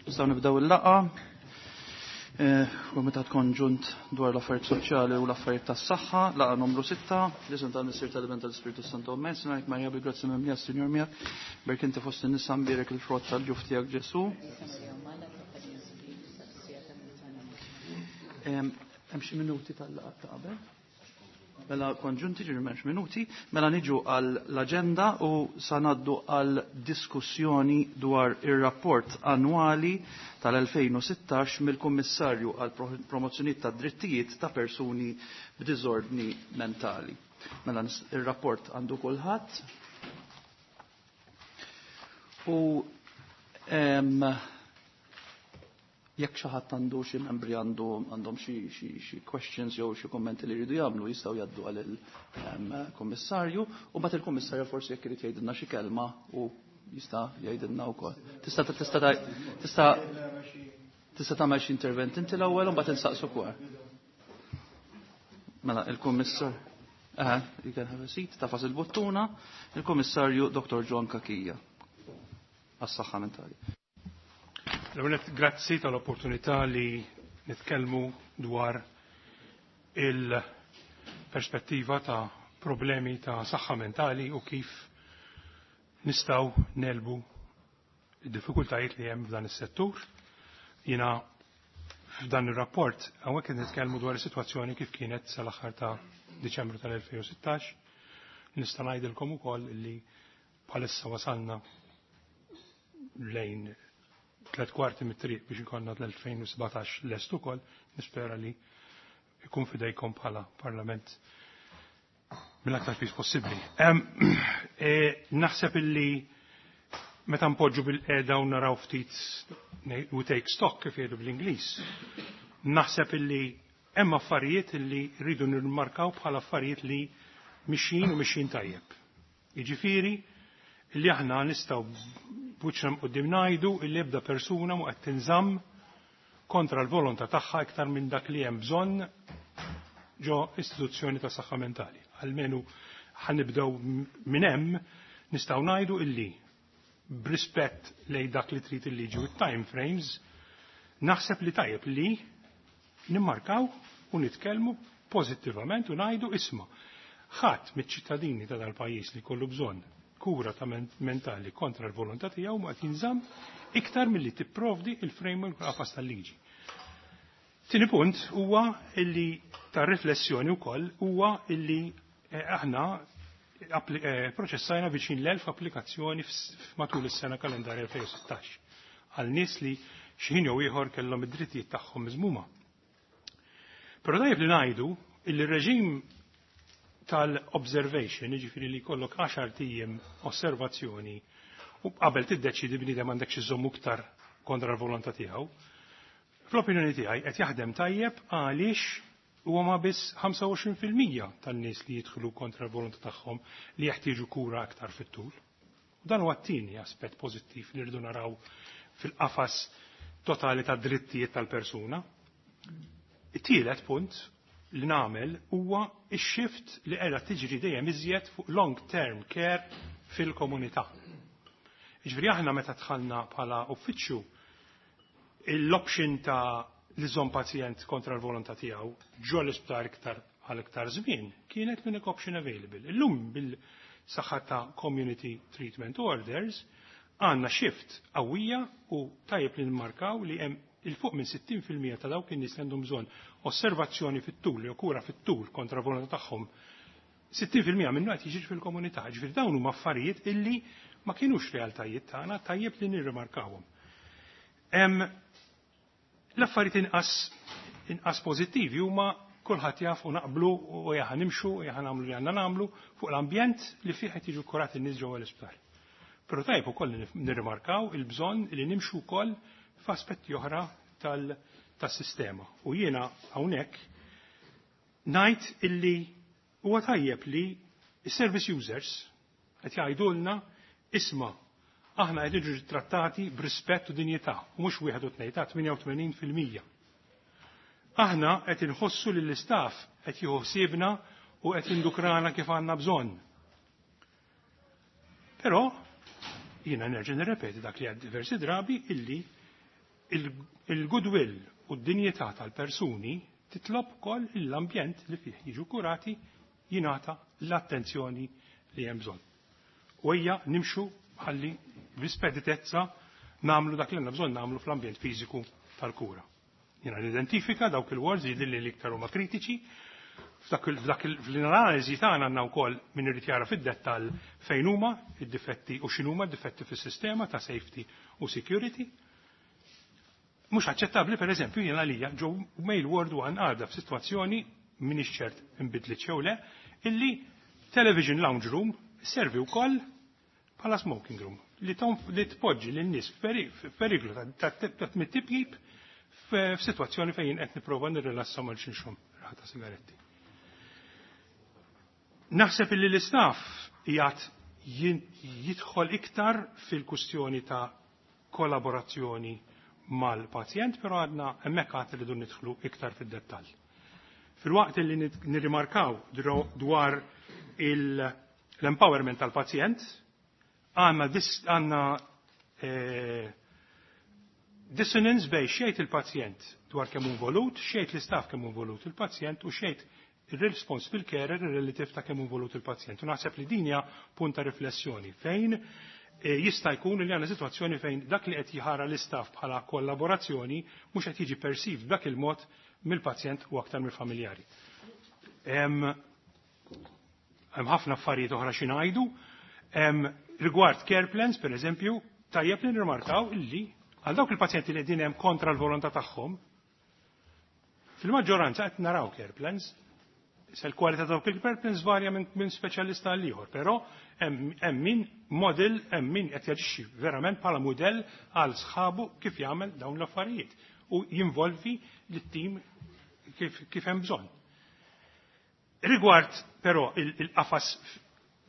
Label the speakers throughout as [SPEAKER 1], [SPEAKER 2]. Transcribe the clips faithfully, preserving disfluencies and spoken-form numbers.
[SPEAKER 1] Nistgħu nibdew il-laqgħa. Eh, Komitat Konġunt dwar l-affarijiet soċjali u l-affarijiet tas-saħħa, laqgħa numru sitta, l-isem tal-Missier, tal-Iben, tal-Ispirtu Santu. Amen. Sinajk Marija, bil-grazzja mimlija, Sinjur miegħek, berk inti fost in-nisa, mbierek il-frott tal-ġuf tiegħek Ġesu. Hemm xi minuti tal-laqgħa ta' qabel? Mela konġunti ġiri m'hemmx minuti, mela niġu għal l-aġenda u sa ngħaddu għal diskussjoni dwar ir-rapport annwali tal-elfejn u sittax mill-Kummissarju għal promozzjoni ta' drittijiet ta' persuni b'diżordni mentali. Mela ir-rapport għandu kulħadd. U em, jekk xi ħadd għandu, xi membri għandu għandhom xi xi xi questions jew xi kommenti li jridu jagħmlu, jistgħu jgħaddu għal il-kummissarju u mbagħad il-kummissarju forsi jekk irid jgħidilna xi kelma u jista' jgħidilna wkoll. Tista' tista' tista' tista' tagħmel xi intervent inti l-ewwel u mbagħad insaqsu wkoll. Mela il-kummissar Eh, you can have a seat, tagħfas il-buttuna, il-Kummissarju Doctor John Cachia għas-saħħa mentali.
[SPEAKER 2] L-ewwel, grazzi tal-opportunità li nitkellmu dwar il-perspettiva ta' problemi ta' saħħa mentali u kif nistgħu negħlbu id-diffikultajiet li hemm f'dan is-settur. Jiena f'dan ir-rapport hawnhekk qed nitkellmu dwar is-sitwazzjoni kif kienet sal-aħħar ta' Diċembru tal-elfejn u sittax. Nista' ngħidilkom ukoll li bħalissa wasalna lejn tlet kwarti mit-triq biex ikollna l-elfejn u sbatax lest ukoll, nispera li ikun fidejkom bħala Parlament mill-aktar fis possibbli. E, naħseb illi meta npoġġu bil-qeda u naraw ftit, we take stock kif jgħidu bl-Ingliż, naħseb illi hemm affarijiet illi rridu nirmarkaw bħala affarijiet li mixjin u mixjin tajjeb. Jiġifieri illi aħna nistgħu b'wiċċna quddiem ngħidu illi ebda persuna mu qed tinżamm kontra l-volontà tagħha iktar minn dak li hemm bżonn ġo istituzzjoni ta' saħħa mentali. Almenu ħa nibdew minn hemm, nistgħu ngħidu illi b'rispett lejn dak li trid il-liġi u time frames, naħseb li tajjeb li nimmarkaw u nitkellmu pożittivament u ngħidu, isma', ħadd miċ-ċittadini ta' dal-pajjiż li kollu bżonn kura ta' mentali kontra l-volontà tiegħu ma qed jinżamm iktar milli tipprovdi il-framework qafas tal-liġi. Tieni punt huwa illi ta' riflessjoni wkoll huwa illi eh, aħna eh, proċessajna viċin l-elf applikazzjoni matul is-sena kalendarja elfejn u sittax għal nies li xi ħin jew ieħor kellhom id-drittijiet tagħhom miżmuma. Però tajjeb li ngħidu illi r-reġim tal-observation, jiġifieri li jkollok għaxart ijiem osservazzjoni u qabel tiddeċidi bniedem għandek xi żommu iktar kontra l-volontà tiegħu. Fl-opinjoni tiegħi qed jaħdem tajjeb għaliex huwa ma biss ħamsa u għoxrin fil-mija tan-nies li jidħlu kontra l-volontà tagħhom li jeħtieġu kura aktar fit-tul. Dan huwa t-tieni aspett pożittiv li rridu naraw fil-qafas totali ta' drittijiet tal-persuna. It-tielet punt li nagħmel huwa x-shift li qiegħda tiġri dejjem iżjed fuq long term care fil-komunità. Jiġifieri aħna meta dħalna bħala uffiċċju, l-option ta' li żomm pazjent kontra l-volontà tiegħu ġo l-isptar iktar għal iktar żmien kienet l-unique option available. Illum bil-saħħa ta' community treatment orders għandna shift qawwija u tajjeb li nmarkaw li hemm il-fuq minn sittin fil-mija ta' dawk in-nies li għandhom bżonn osservazzjoni fit-tul jew kura fit-tul kontra volontà tagħhom, sittin fil-mija minnu qed jiġri fil-komunità. Ġifieri dawn huma affarijiet illi ma kienux realtajiet tagħna, tajjeb li nirrimarkawhom. L-affarijiet inqas inqas pożittivi huma kulħadd jaf u naqblu u jaħa nimxu u jaħa nagħmlu li għandna nagħmlu fuq l-ambjent li fih qed jiġu kurati n-nies ġewwa l-isptar. Però tajjeb ukoll nirrimarkaw il-bżonn li nimxu wkoll f'aspetti oħra tas-sistema. U jiena hawnhekk ngħid illi huwa tajjeb li s-service users qed jgħidulna, isma', aħna qed niġu trattati b'rispett u dinjità, u mhux wieħed u tnejn ta' tmienja u tmenin fil-mija. Aħna qed inħossu li l-istaff qed jieħu ħsiebna u qed jindukrana kif għandna bżonn. Però jiena nerġa' nirrepeti dak li għedt diversi drabi illi Il-goodwill u d-dinjità tal-persuni titlob ukoll l-ambjent li fih jiġu kurati jingħata l-attenzjoni li hemm bżonn. U ejja nimxu ħalli bl-ispeditezza nagħmlu dak li għandna bżonn nagħmlu fl-ambjent fiżiku tal-kura. Jiena nidentifika dawk il-wards li li l-iktar huma kritiċi, f'dak l-analiżi tagħna għandna wkoll min irid jara fid-dettall fejn huma id-difetti u x'inhuma d-difetti fis-sistema ta' safety u security. Mhux aċċettabbli, pereżempju, jien għalija ġo Male Ward one għadha f'sitwazzjoni, m'iniex ċert inbidlit jew le, illi television lounge room servi wkoll bħala smoking room li li tpoġġi lin-nies f'periklu ta' mit-tipjib f'sitwazzjoni fejn qed nipprova nirrilassa mal xinxum ta' sigaretti. Naħseb illi l-istaff qiegħed jidħol iktar fil-kustjoni ta' kollaborazzjoni mal-pazjent, però għadna hemmhekk għad rridu nidħlu iktar fid-dettall. Filwaqt li nirrimarkaw dwar l-empowerment tal-pazjent, għandna għandna eh, dissonance bejn xejt il-pazjent dwar kemm involut, xejt l-istaff kemm involut il-pazjent u xejt il-responsible carer relative ta' kemm involut il-pazjent. U naħseb li din hija punt ta' riflessjoni fejn eh, jista' jkun li għandna sitwazzjoni fejn dak li qed jħara l-istaff bħala kollaborazzjoni mhux qed jiġi perceived b'dak il-mod mill-pazjent u aktar mill-familjari. Hemm ħafna affarijiet oħra xi ngħidu. Rigward care plans, per eżempju, tajjeb li nirmarkaw illi għal dawk il-pazjenti li qegħdin hemm kontra l-volontà tagħhom, fil-maġġoranza qed naraw care plans. Se l-kwalità dawk il-care plans varja minn min speċjalista għal ieħor, però hemm min model, hemm min qed jaġixxi verament bħala mudell għal sħabu kif jagħmel dawn l-affarijiet u jinvolvi lit-tim kif, kif hemm bżonn. Rigward però il-qafas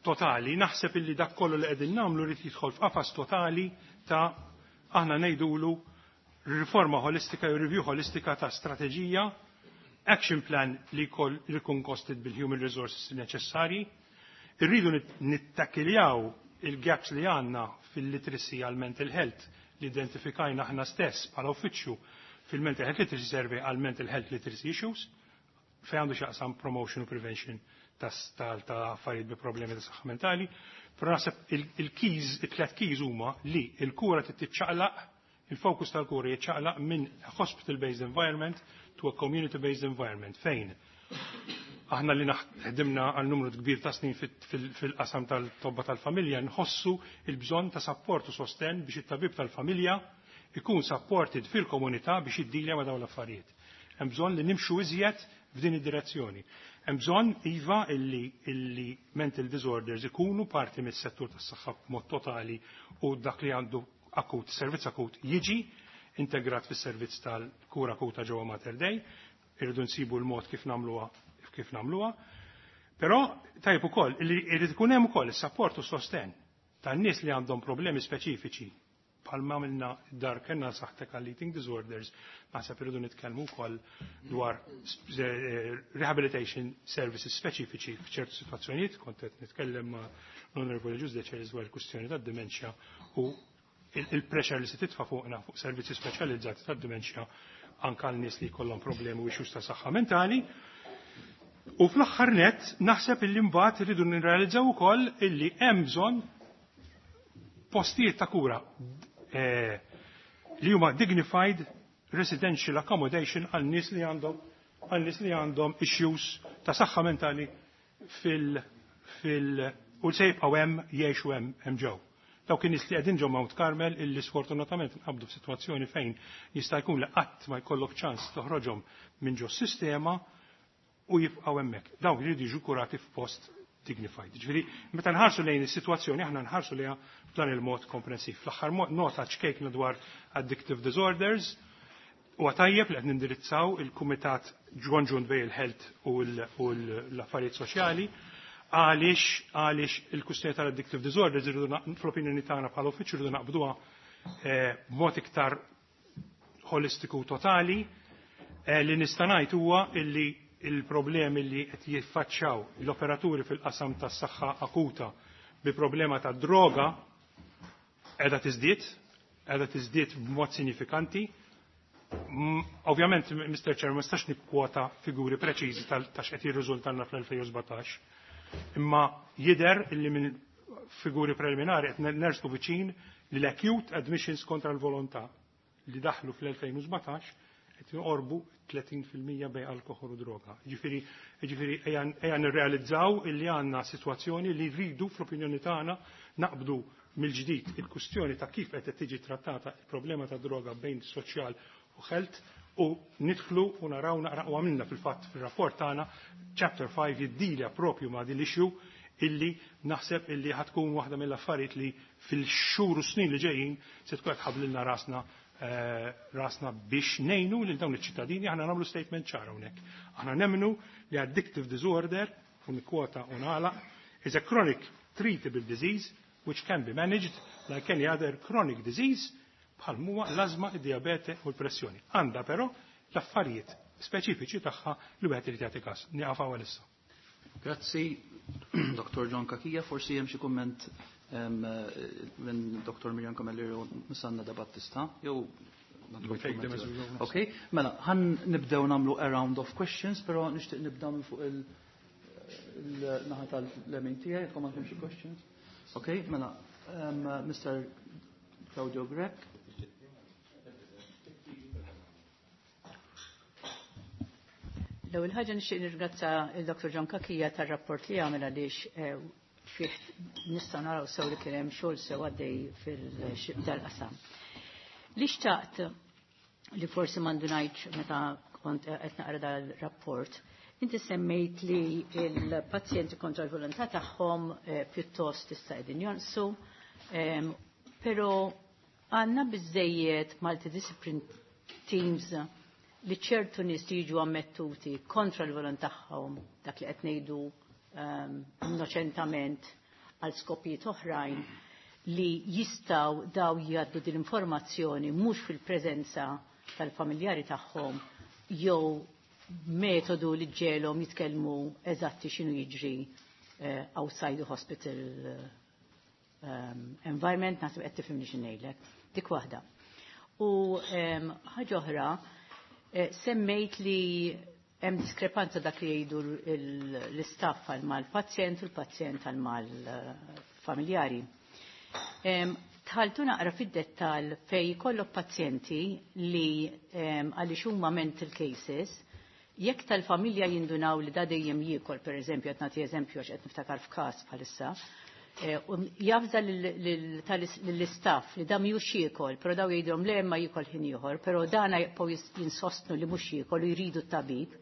[SPEAKER 2] totali, naħseb illi dak kollu li qegħdin nagħmlu rrid jidħol f'qafas totali ta' aħna ngħidulu riforma holistika jew review holistika ta' strateġija, action plan li jkun costed bil-human resources neċessarji. Irridu nittakiljaw il-gaps li għandna fil-literacy għal mental health li identifikajna aħna stess bħala uffiċċju fil-Mental Health Literacy Survey għal mental health literacy issues fejn għandu xaqsam promotion u prevention ta' affarijiet bi problemi ta' saħħa mentali. Però naħseb il-keys, it-tlet keys huma li il-kura titċaqlaq, il-fokus tal-kura jiċċaqlaq minn hospital-based environment to a community-based environment fejn aħna li naħdimna għal numru kbir ta' snin fil-qasam tal-tobba tal-familja nħossu il-bżonn ta' support u sosten biex it-tabib tal-familja ikun supported fil-komunità biex jiddilja ma' dawn l-affarijiet. Hemm bżonn li nimxu iżjed f'din id-direzzjoni. Hemm bżonn iva illi, illi mental disorders ikunu parti mis-settur tas-saħħa b'mod totali u dak li għandu akut, servizz akut jiġi integrat fis-servizz tal-kura akuta ġewwa Mater Dei, irridu nsibu l-mod kif nagħmluha kif nagħmluha. Però tajjeb ukoll li jrid ikun hemm ukoll is-sapport u sosten tan-nies li għandhom problemi speċifiċi bħalma għamilna dar kellna saħtek għall eating disorders, naħseb irridu nitkellmu wkoll dwar eh, rehabilitation services speċifiċi f'ċertu sitwazzjonijiet, kont qed nitkellem ma' l-Honorable Agius Decelis dwar il-kwistjoni tad-dementia u il-pressure li se titfa' fuqna fuq servizzi speċjalizzati tad-dementia anke għal nies li jkollhom problemi u issues ta' saħħa mentali. U fl-aħħar net naħseb illi mbagħad irridu nirrealizzaw ukoll illi hemm bżonn postijiet ta' kura eh, li huma dignified residential accommodation għal nies li għandhom għal nies li għandhom issues ta' saħħa mentali fil fil u se jibqgħu hemm jgħixu hemm hemm ġew. Dawk in-nies li qegħdin ġew Mount Carmel illi sfortunatament nqabdu f'sitwazzjoni fejn jista' jkun li qatt ma jkollok ċans toħroġhom minn ġo sistema u jibqgħu hemmhekk. Dawk jridu jiġu kurati f'post dignified. Ġifieri, meta nħarsu lejn is-sitwazzjoni aħna nħarsu lejha b'dan il-mod komprensiv. L-aħħar nota ċkejkna dwar addictive disorders u tajjeb li qed nindirizzaw il-Kumitat Ġwanġun bejn il-Health u l-Affarijiet Soċjali għaliex għaliex il-kustjoni tal-addictive disorders irridu fl-opinjoni tagħna bħala uffiċċju irridu naqbduha eh, b'mod iktar holistiku totali. eh, li nista' ngħid huwa illi il-problemi li qed jiffaċċjaw l-operaturi fil-qasam tas-saħħa akuta bi problema ta' droga qiegħda tiżdied. qiegħda tiżdied b'mod sinifikanti. Ovvjament, Mister Chair, ma nistax nikkwota figuri preċiżi ta' x'qed jirriżultalna fl-elfejn u sbatax, imma jidher illi minn figuri preliminari qed nersqu viċin li l-acute admissions kontra l-volontà li daħlu fl-elfejn u sbatax qed joqorbu tletin fil-mija bej alkohol u droga. Ġifieri, ġifieri ejja nirrealizzaw illi għandna sitwazzjoni li rridu fl-opinjoni tagħna naqbdu mill-ġdid il-kwistjoni ta' kif qed tiġi trattata il-problema ta' droga bejn soċjal u health u nidħlu u naraw naqra u għamilna fil-fatt fil-rapport tagħna chapter five jiddilja propju ma' din l-issue illi naħseb illi ħatkun waħda mill-affarijiet li fil-xhur u snin li ġejjin se tkun qed tħabblilna rasna, eh, rasna biex ngħinu lil dawn iċ-ċittadini. Aħna nagħmlu statement ċara hawnhekk. Aħna nemmnu li addictive disorder, u nikkwota u nagħlaq, is a chronic treatable disease which can be managed like any other chronic disease bħal huwa l-ażma, id-diabete u l-pressjoni. Għandha però l-affarijiet speċifiċi tagħha li wieħed irid jagħti każ. Nieqaf hawn issa.
[SPEAKER 1] Grazzi, Doktor John Cachia. Forsi hemm xi kumment, em, minn Doktor Miriam Camilleri u Miss Anna De Battista. Jew
[SPEAKER 2] We'll take them as we go.
[SPEAKER 1] Okay, mela, ħan nibdew nagħmlu a round of questions, però nixtieq nibda minn fuq il-, il-naħa tal-lemin tiegħi, jekk għandkom xi questions. Okay, mela, em, Mister Claudio Grech.
[SPEAKER 3] L-ewwel ħaġa nixtieq nirringrazzja il-Doktor John Cachia tar-rapport li għamel għaliex, eh, fih nistgħu naraw sew li kien hemm xogħol sew għaddej fil-dal-qasam. Li xtaqt li forsi m'għandu ngħidx meta kont qed naqra dal-rapport, inti semmejt li l-pazjenti kontra l-volontà tagħhom, eh, pjuttost issa qegħdin jonqsu, ehm, però għandna biżejjed multidiscipline teams li ċertu nies li jiġu ammettuti kontra l-volontà tagħhom, dak li qed ngħidu, ehm, innoċentament għal skopijiet oħrajn, li jistgħu daw jgħaddu din l-informazzjoni mhux fil-preżenza tal-familjari tagħhom jew metodu li ġelhom jitkellmu eżatti x'inhu jiġri, eh, outside the hospital, ehm, environment, naħseb qed tifhimni xi ngħidlek. Dik waħda. U, ehm, ħaġa oħra, eh, semmejt li hemm diskrepanza dak li jgħidu l-, l-istaff għal mal-pazjent u l-pazjent għal mal-familjari. Ehm, tħaltu naqra fid-dettal fej jkollok pazjenti li, ehm, għaliex huma mental cases, jekk tal-familja jindunaw li da dejjem jiekol, per eżempju, qed nagħti eżempju għax qed niftakar f'każ bħalissa, eh, u jafża lill-istaff li da mhux jiekol, però daw jgħidhom le ma jiekol ħin ieħor, però dana jibqgħu jis-, jinsostnu li mhux jiekol u jridu t-tabib,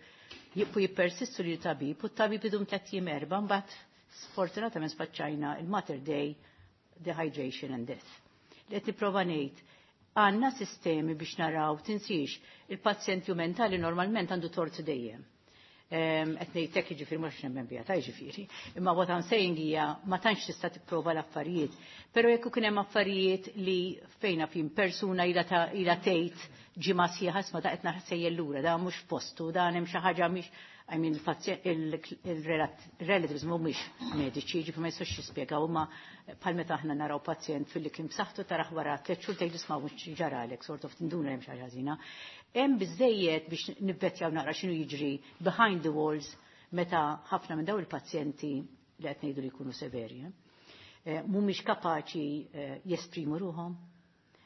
[SPEAKER 3] jibqgħu jippersistu li tabib u t-tabib idum tliet jiem erba', mbagħad sfortunatament spaċċajna il-Mater Dei dehydration and death. Li qed nipprova ngħid, għandna sistemi biex naraw, tinsiex, il-pazjent ju mentali normalment għandu tort dejjem. Ehm, qed ngħid hekk jiġifieri mhux nemmen biha ta' jiġifieri. Imma what I'm saying hija ma tantx tista' tipprova l-affarijiet. Però jekk ikun hemm affarijiet li fejna fin persuna ilha ta-, ilha tgħid ġimgħa sħiħa isma' ta' qed naħsejjer lura, da mhux postu, da hemm xi ħaġa mhix, I mean, il-relatives mhumiex mediċi, ġifieri ma jistgħux jispjegaw, imma bħal meta aħna naraw pazjent fil-li kien b'saħħtu taraħ wara tliet xhur tgħid isma' mhux ġaralek, sort of tinduna hemm xi ħaġa ħażina. Hemm biżejjed biex nivvettjaw naqra x'inhu jiġri behind the walls meta ħafna minn dawn il-pazjenti li qed ngħidu li jkunu severi, eh? Eh, mhumiex kapaċi, eh, jesprimu ruhom.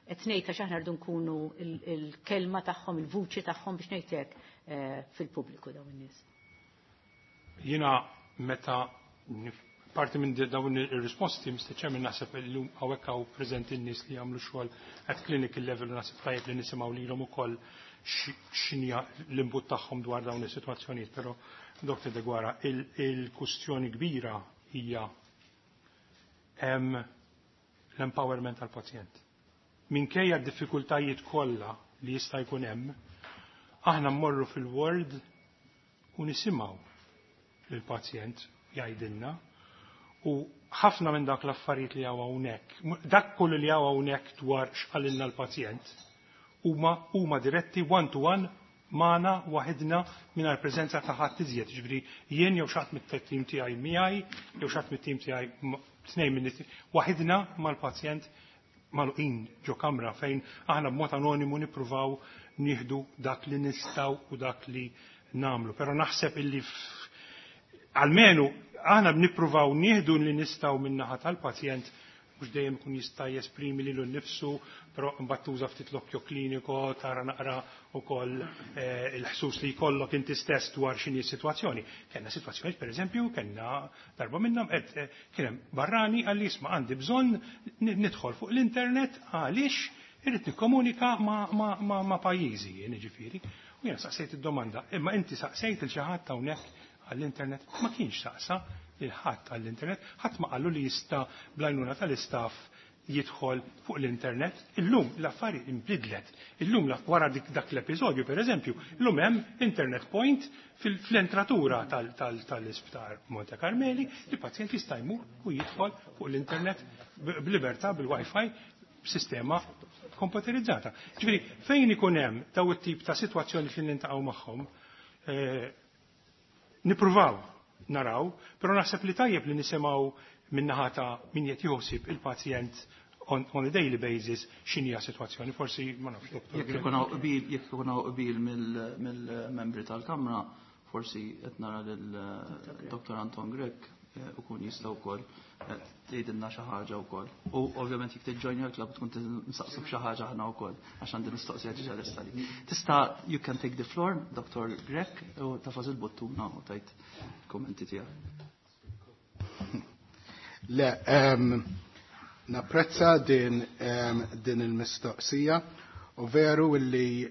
[SPEAKER 3] Qed ngħid għax aħna rridu nkunu il-, il-kelma tagħhom, il-vuċi tagħhom biex ngħidlek, eh, fil-pubbliku dawn in-nies.
[SPEAKER 2] Jiena meta nif-, parti minn dawn ir-risposti, Mister Chairman, naħseb illum hawnhekk hawn preżenti n-nies li jagħmlu xogħol at clinical level, naħseb tajjeb li nisimgħu lilhom ukoll x'inhi l-input tagħhom dwar dawn is-sitwazzjonijiet, però Doktor Deguara, il-, il-kustjoni kbira hija hemm l-empowerment tal-pazjent. Minkejja d-diffikultajiet kollha li jista' jkun hemm, aħna mmorru fil-ward u nisimgħu lill-pazjent jgħidilna u ħafna minn dak l-affarijiet li hawn hawnhekk, dak kollu li hawn hawnhekk dwar x'qalilna l-pazjent, huma, huma diretti one to one magħna waħedna mingħajr preżenza ta' ħadd iżjed. Ġifieri jien jew xi ħadd mit-tim tiegħi miegħi, jew xi ħadd mit-tim tiegħi m-, tnejn minn it-, waħedna mal-pazjent magħluqin ġo kamra fejn aħna b'mod anonimu nippruvaw nieħdu dak li nistgħu u dak li nagħmlu. Però naħseb illi almenu aħna nippruvaw nieħdu li nistgħu min-naħa tal-pazjent, mhux dejjem ikun jista' jesprimi lilu nnifsu, però mbagħad tuża ftit l-occhio clinico, tara naqra wkoll eh, il-ħsus li jkollok inti stess dwar x'inhi s-sitwazzjoni. Kellna sitwazzjoni, pereżempju, kellna darba minnhom qed eh, kien hemm barrani għalli isma' għandi bżonn nidħol fuq l-internet għaliex irrid nikkomunika ma', ma, ma, ma pajjiżi, jiġifieri. U jiena saqsejt id-domanda, imma inti saqsejt il xi ħadd hawnhekk għall-internet? Ma kienx saqsa lil ħadd għall-internet, ħadd ma qallu li jista' bl-għajnuna tal-istaff jidħol fuq l-internet. Illum l-affari inbidlet. Illum wara dik dak l-episodju, per eżempju, illum hemm internet point fil-entratura tal-isptar Monte Carmeli li pazjent jista' jmur u jidħol fuq l-internet b'libertà bil-Wi-Fi b'sistema komputerizzata. Ġifieri, fejn ikun hemm daw it-tip ta' sitwazzjoni li niltaqgħu magħhom, eh, nippruvaw naraw, però naħseb li tajjeb li nisimgħu min-naħa ta' min qed joħsib il-pazjent on, on a daily basis x'inhi sitwazzjoni. Forsi ma nafx, doktor.
[SPEAKER 1] Jekk ikun hawn qbil, jekk ikun hawn qbil mill-membri tal-Kamra, forsi qed nara lil Dottor Anton Grech ukun jista' wkoll tgħidilna xi ħaġa wkoll. U ovvjament jekk tiġġojnja l-klabb tkun nsaqsuk xi ħaġa aħna wkoll għax għandi mistoqsija ġiġa lesta li. Tista' you can take the floor, Doctor Grech, u tafas il-buttuna u tajt kommenti tiegħek.
[SPEAKER 4] Le, um, napprezza din, um, din il-mistoqsija u veru li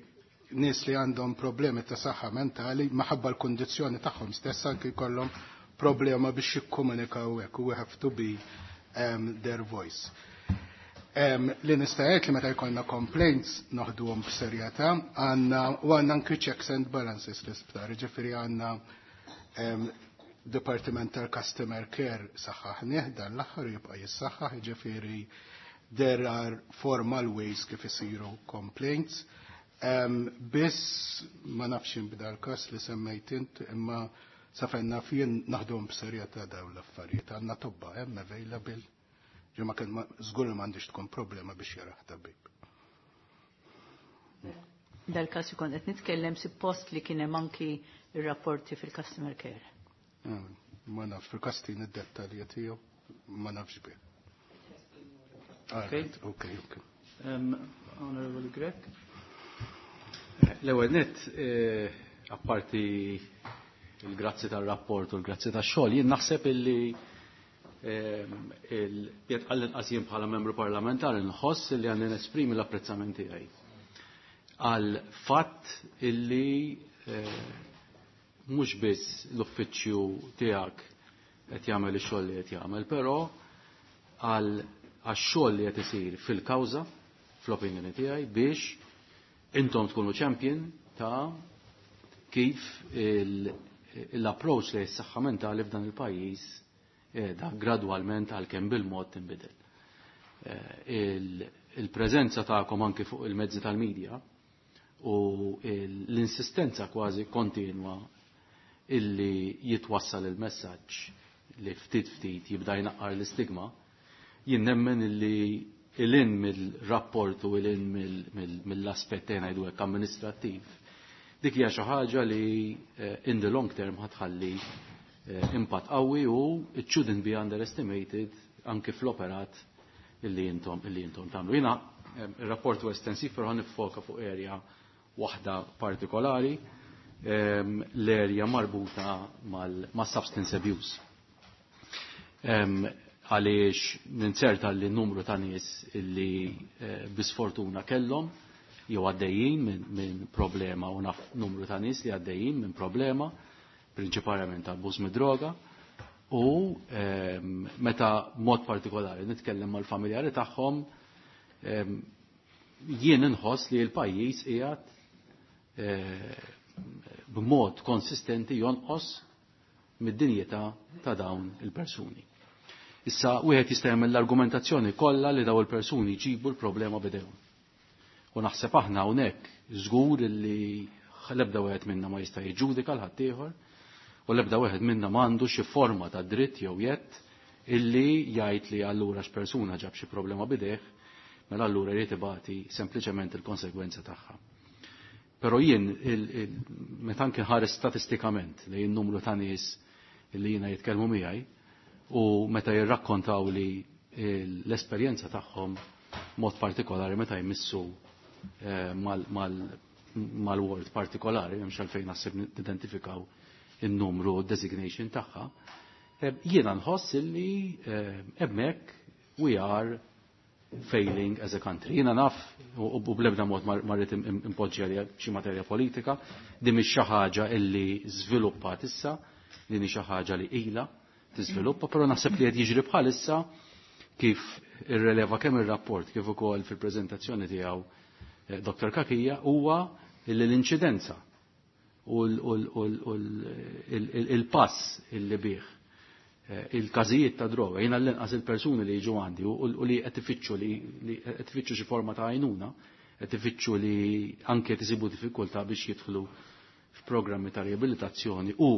[SPEAKER 4] nies li għandhom problemi ta' saħħa mentali maħabba l-kondizzjoni tagħhom stess anke jkollhom problema biex jikkomunikaw hekk u we have to be um, their voice. Um, li nista' ngħid li meta jkollna complaints noħduhom b'serjetà, għandna u għandna anke checks and balances l-isptar, ġifieri għandna um, Departiment tal-Customer Care saħħaħnieh dan l-aħħar jibqa' jissaħħaħ, ġifieri there are formal ways kif isiru complaints. Um, biss ma nafx b'dal każ li semmejt int, imma sa fejn naf jien naħdum b'serjetà dawn l-affarijiet. Għandna tobba hemm available. Ġi ma kien żgur li m'għandix tkun problema biex jaraħ tabib.
[SPEAKER 3] Dal-każ ikun qed nitkellem suppost li kien hemm anki ir-rapporti fil-customer care.
[SPEAKER 4] Ma nafx fil-kastin id-dettalji tiegħu ma nafx bih.
[SPEAKER 1] Okay.
[SPEAKER 4] Okay, okay.
[SPEAKER 1] Um, Honorable Grech.
[SPEAKER 5] L-ewwel nett, eh, apparti il-grazzi tal-rapport u l-grazzi tax-xogħol, jien naħseb illi jekk għall-inqas jien bħala membru parlamentari nħoss illi għandi nesprimi l-apprezzament tiegħi għal fatt illi eh, mhux biss l-uffiċċju tiegħek qed jagħmel ix-xogħol li qed jagħmel, però għal għax-xogħol li qed isir fil-kawża, fl-opinjoni tiegħi, biex intom tkunu champion ta' kif l-approach li s-saħħa mentali f'dan il-pajjiż da gradwalment għalkemm bil-mod tinbidel. Il-preżenza tagħkom anki fuq il-mezzi tal-medja u l-insistenza kważi kontinwa illi jitwassal il-messaġġ li ftit ftit jibda jnaqqar l-istigma, jien nemmen illi il-in mill-rapport u il-in mill-aspett ngħidu hekk amministrattiv, dik hija xi ħaġa li in the long term ħatħalli impatt qawwi u it shouldn't be underestimated anki fl-operat illi intom illi intom tagħmlu. Jiena ir-rapport huwa estensiv però nifoka fuq area waħda partikolari, l-area marbuta mal-substance abuse. Għaliex ninzerta li numru ta' nies illi bisfortuna kellhom jew għaddejjin minn min problema u naf numru ta' nies li għaddejjin minn problema prinċipalment ta' abbuż mid-droga u meta mod partikolari nitkellem mal-familjari tagħhom jien inħoss li l-pajjiż qiegħed b'mod konsistenti jonqos mid-dinjità ta' dawn il-persuni. Issa wieħed jista' jagħmel l-argumentazzjoni kollha li dawn il-persuni jġibu l-problema b'idejhom. U naħseb aħna hawnhekk żgur li l-ebda wieħed minna ma jista' jiġġudika l ħaddieħor u l-ebda wieħed minna m'għandu xi forma ta' dritt jew jett illi jgħid li allura x'persuna ġab xi problema b'idejh mela allura jrid ibati sempliċement il-konsegwenza tagħha. Però jien meta anke ħares statistikament li n-numru ta' nies li jiena jitkellmu miegħi u meta jirrakkontaw li l-esperjenza tagħhom mod partikolari meta jmissu eh, mal-word partikolari, m'hemmx għalfejn naħseb nidentifikaw in-numru designation tagħha, eh, jiena nħoss illi eh, hemmhekk we are failing as a country. Jiena naf u bl-ebda mod ma rrid impoġġi għalija xi materja politika, din mhix xi ħaġa illi żviluppat issa, din hi xi ħaġa li ilha tiżviluppa, però naħseb li qed jiġri bħalissa kif irreleva kemm ir-rapport kif ukoll fil-preżentazzjoni tiegħu eh, Dr. Cachia huwa illi l-inċidenza u l-pass illi bih eh, il-każijiet ta' droga, jiena l-inqas il-persuni li jiġu għandi u li qed ifittxu li qed ifittxu xi forma ta' għajnuna, qed ifittxu li anke isibu diffikultà biex jidħlu f'programmi ta' riabilitazzjoni u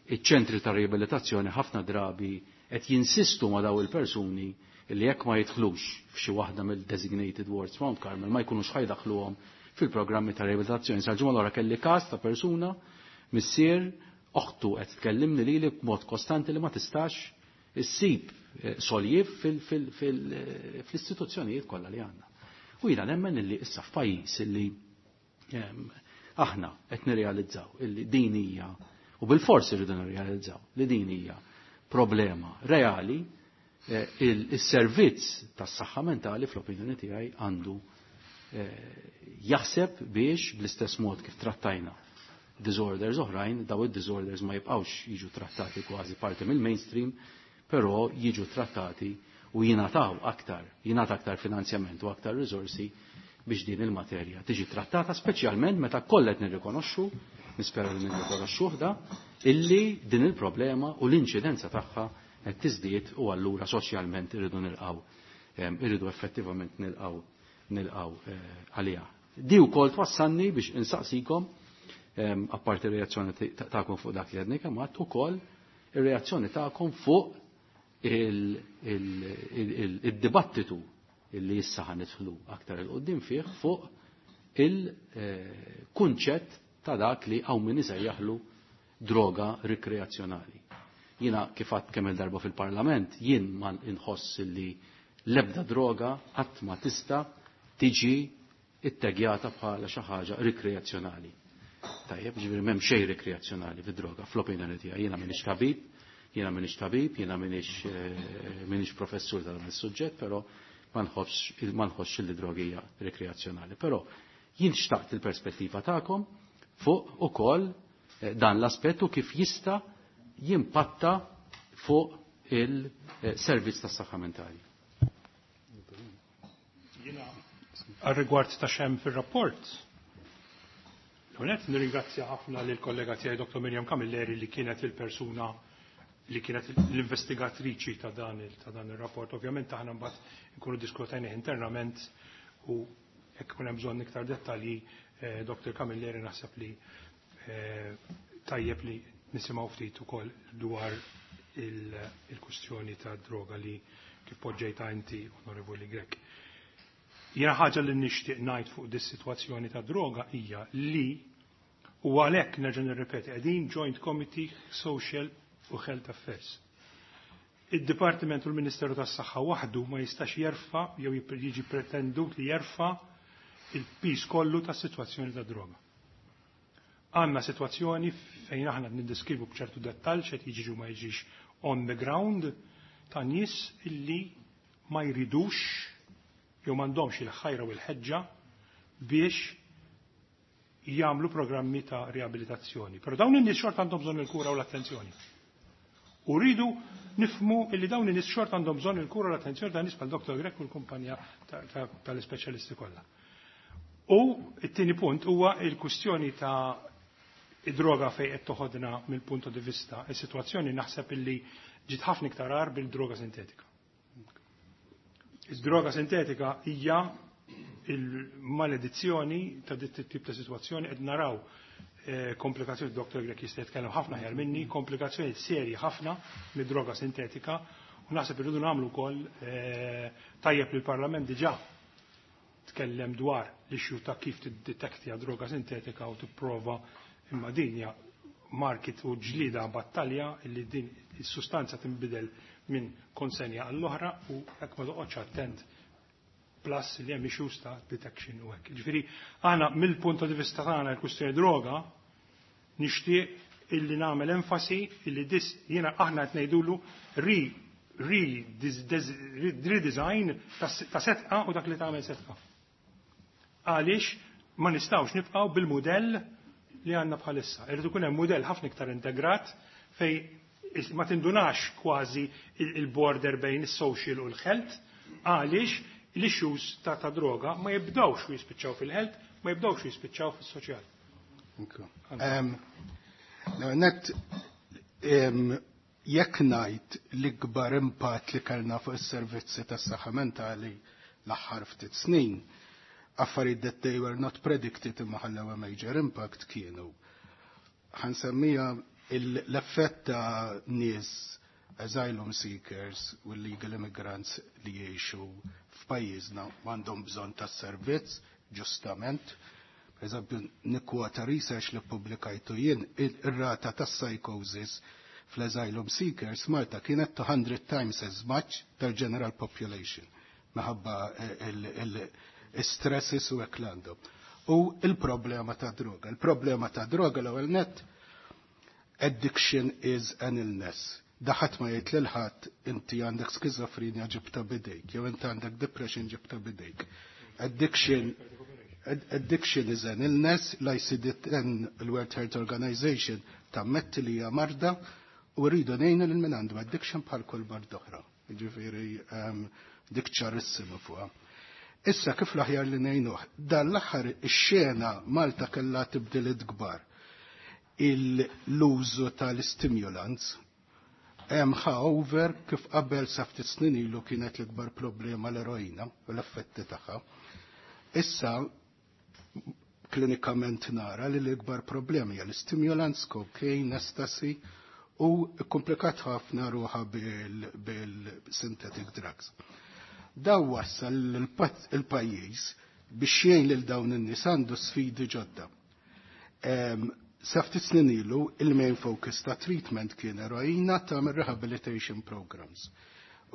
[SPEAKER 5] iċ-ċentri ta' riabilitazzjoni ħafna drabi qed jinsistu ma' daw il-persuni li jekk ma jidħlux f'xi waħda mill-designated wards Mount Carmel ma jkunux ħa jdaħħluhom fil-programmi ta' riabilitazzjoni. Sal-ġimgħa l kelli każ ta' persuna missier oħtu qed tkellimni lili b'mod kostanti li ma tistax issib eh, soljiv fil-istituzzjonijiet kollha li għandna. U jiena nemmen illi issa f'pajjiż illi ehm, aħna qed nirrealizzaw illi din hija u bil-forsi rridu nirrealizzaw li din hija problema reali eh, il-servizz tas-saħħa mentali fl-opinjoni tiegħi għandu eh, jaħseb biex bl-istess mod kif trattajna disorders oħrajn, daw id-disorders ma jibqawx jiġu trattati kważi parti mill-mainstream, però jiġu trattati u jingħataw aktar, jingħata aktar finanzjament u aktar risorsi biex din il-materja tiġi trattata speċjalment meta kollha qed nirrikonoxxu, nispera li nirrikonoxxuh da, illi din il-problema u l-inċidenza tagħha qed tiżdied u allura soċjalment irridu nilqgħu irridu effettivament nilqgħu nilqgħu eh, għaliha. Di wkoll twassalni biex insaqsikom apparti reazzjoni tagħkom fuq dak li għedni kemm għadt ukoll ir-reazzjoni tagħkom fuq il-dibattitu illi issa ħa nidħlu aktar 'il quddiem fih fuq il-kunċett ta' dak li hawn min isejjaħlu droga rikreazzjonali. Jiena kif għadt kemm il-darba fil-Parlament, jien ma inħoss li l-ebda droga qatt ma tista' tiġi ittegjata bħala xi ħaġa rikreazzjonali. Tajjeb, ġifieri m'hemm xejn rikreazzjonali fid-droga, fl-opinjoni tiegħi. Jiena m'iniex tabib, jiena m'iniex tabib, jiena m'iniex eh, m'iniex professur ta' dan is-suġġett, però ma nħossx ma nħossx li droga hija rikreazzjonali. Però jien xtaqt il-perspettiva tagħkom fuq ukoll eh, dan l-aspett u kif jista' jimpatta fuq il-servizz tas-saħħa mentali.
[SPEAKER 2] Għal-rigward ta' xem fil-rapport, l-għonet nirringrazzja ħafna lil kollega tiegħi Dr. Miriam Camilleri li kienet il-persuna li kienet l-investigatriċi ta' dan il ta' dan il-rapport. Ovvjament aħna mbagħad nkunu diskutajni internament u jekk ikun hemm bżonn iktar dettalji, eh, Dr. Camilleri naħseb li eh, tajjeb li nisimgħu ftit ukoll dwar il-kwistjoni ta' droga li kif poġġejta inti, Onorevoli Grech. Jiena ħaġa li nixtieq ngħid fuq dis-sitwazzjoni ta' droga hija li u għalhekk nerġa' nirrepeti qegħdin Joint Committee Social u Health Affairs. Id-Dipartiment u l-Ministeru tas-Saħħa waħdu ma jistax jerfa' jew jiġi pretendut li jerfa' il-pis kollu tas-sitwazzjoni ta' droga. Għandna sitwazzjoni fejn aħna niddiskrivu b'ċertu dettall x'qed jiġi ma jiġix on the ground ta' nies illi ma jridux jew m'għandhomx il-ħajra u l-ħeġġa biex jagħmlu programmi ta' riabilitazzjoni. Però dawn in-nies xorta għandhom bżonn il-kura u l-attenzjoni. U rridu nifhmu illi dawn in-nies xorta għandhom bżonn il-kura u l-attenzjoni ta' nies bħal Dr. Grech u l-kumpanija tal-ispeċjalisti kollha. U it-tieni punt huwa il-kwistjoni ta' id-droga fejn qed toħodna mill-punt di vista. Is-sitwazzjoni naħseb illi ġiet ħafna iktar agħar bil-droga sintetika. Id-droga sintetika hija il-maledizzjoni ta' dit tip ta' sitwazzjoni qed naraw eh, komplikazzjoni Dr. Grech jista' jitkellem ħafna aħjar minni, komplikazzjoni serji ħafna mid-droga sintetika u naħseb irridu nagħmlu wkoll eh, tajjeb li l-Parlament diġà tkellem dwar l-issue ta' kif tiddetektja droga sintetika u tipprova, imma din hija market u ġlida battalja li din is-sustanza tinbidel minn konsenja għall-oħra u jekk ma toqgħodx attent, plus li hemm issues ta' detection u hekk. Ġifieri aħna mill-punt di vista tagħna l-kwistjoni droga nixtieq illi nagħmel enfasi illi dis jiena aħna qed ngħidulu re redesign ta' Sedqa u dak li tagħmel Sedqa. Għaliex ma nistgħux nibqgħu bil-mudell li għandna bħalissa. Irid ikun hemm mudell ħafna iktar integrat fej ma tindunax kważi il-border bejn is-social u l-health, għaliex l-issues ta' ta' droga ma jibdawx u jispiċċaw fil-health, ma jibdawx u jispiċċaw fis-soċjal.
[SPEAKER 4] Net, jekk ngħid l-ikbar impatt li kellna fuq is-servizzi tas-saħħa mentali l-aħħar ftit snin, affarijiet that they were not predicted imma ħallew a major impact kienu. Ħa nsemmija l-effett ta' nies asylum seekers u illegal immigrants li jgħixu f'pajjiżna għandhom bżonn tas servizz ġustament. Per eżempju, nikkwota research li publikajtu jien, ir-rata tas psychosis fl-asylum seekers Malta kienet two hundred times as much tal-general population minħabba il-stresses u hekk għandhom. U il-problema ta' droga. Il-problema ta' droga, l-ewwel net, addiction is an illness. Ħadd ma jgħid lil ħadd inti għandek skizofrenja ġibta bidejk, jew inti għandek depression ġibta bidejk. Addiction addiction is an illness, l-I C D ten, il-World Health Organization, tammetti li hija marda u rridu ngħinu lil min għandu addiction bħal kull marda oħra. Ġifieri um, dik ċarissima fuqha. Issa kif l-aħjar li ngħinuh? Dan l-aħħar ix-xena Malta kellha tibdiliet kbar. L-użu tal-stimulants hemm ħa over. Kif qabel sa ftit snin ilu kienet l-ikbar problema l-eroina u l-effetti tagħha. Issa klinikament nara li l-ikbar problemi hija l-stimulants, cocaine, ecstasy u komplikat ħafna ruħa bil-synthetic drugs. Daw wassal il-pajjiż biex jgħin lil dawn in-nies għandu sfidi ġodda. Sa ftit snin ilu il-main focus ta' treatment kien eroina, tagħmel rehabilitation programs.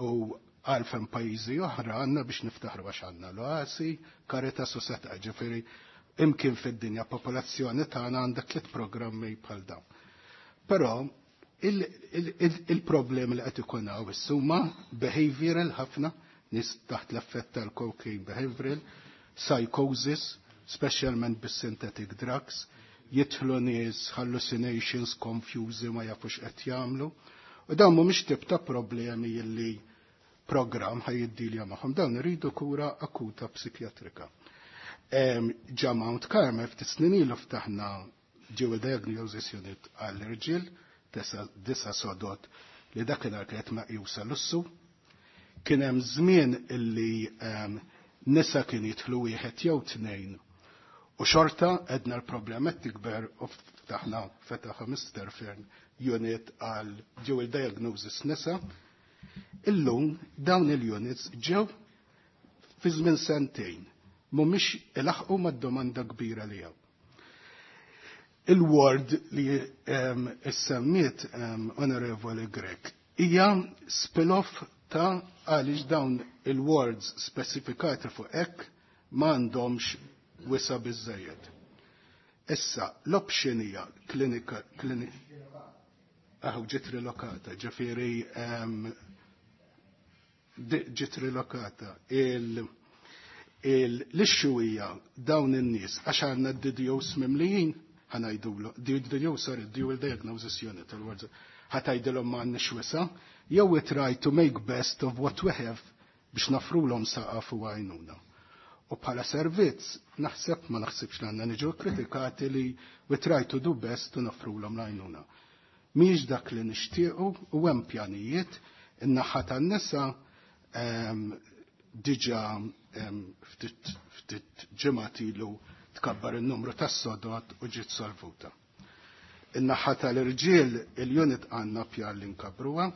[SPEAKER 4] U għalfem pajjiżi oħra għandna biex niftaħru għax għandna l-Oasi, Caritas u Sedqa, ġifieri imkien fid-dinja popolazzjoni tagħna għandha tliet programmi bħal dawn. Però il-problemi li qed ikun hawn huma behavioral ħafna, nies taħt l-effett tal-cocaine behavioral, psychosis, specialment bis-synthetic drugs, jidħlu nies hallucinations, confused, ma jafux qed jagħmlu. U dawn mhumiex tip ta' problemi illi program ħa jiddilja magħhom, dawn iridu kura akuta psikjatrika. Ġa Mount Carmel ftit snin ilu ftaħna dual diagnosis unit għall-irġiel, disa sodod li dakinhar kienet meqjusa lussu. Kien hemm żmien illi nisa kien jidħlu wieħed jew tnejn. U xorta edna l-problema tikber u ftaħna, fetaħa Mister Fern unit għal dual diagnosis nisa. Illum dawn il-units ġew fi żmien sentejn mhumiex ilaħqu mad-domanda kbira li hawn. Il-ward li um, issemmiet um, Onorevoli Grech hija spin-off ta' għaliex dawn il-wards specifikati fuq hekk m'għandhomx wisa biżejjed. Issa, l-option hija klinika, klinika, aħu ġiet rilokata, ġifieri um, ġiet rilokata. Il, l-issue hija dawn in-nies għax għandna d-D D Os mimlijin, ħa ngħidulu, D D O, sorry, Dual Diagnosis Unit, il-words, ħa tgħidilhom ma għandniex wisa, jew we try to make best of what we have biex nofrulhom saqaf u għajnuna. U bħala servizz, naħseb ma naħsibx li għandna niġu kritikati li we try to do best u nofrulhom l-għajnuna. Mhix dak li nixtiequ u hemm pjanijiet in-naħa tan-nisa diġà ftit ftit ġimgħat ilu tkabbar il-numru tas-sodot u ġiet solvuta. In-naħa tal-irġiel il-unit għandna pjan li nkabruha,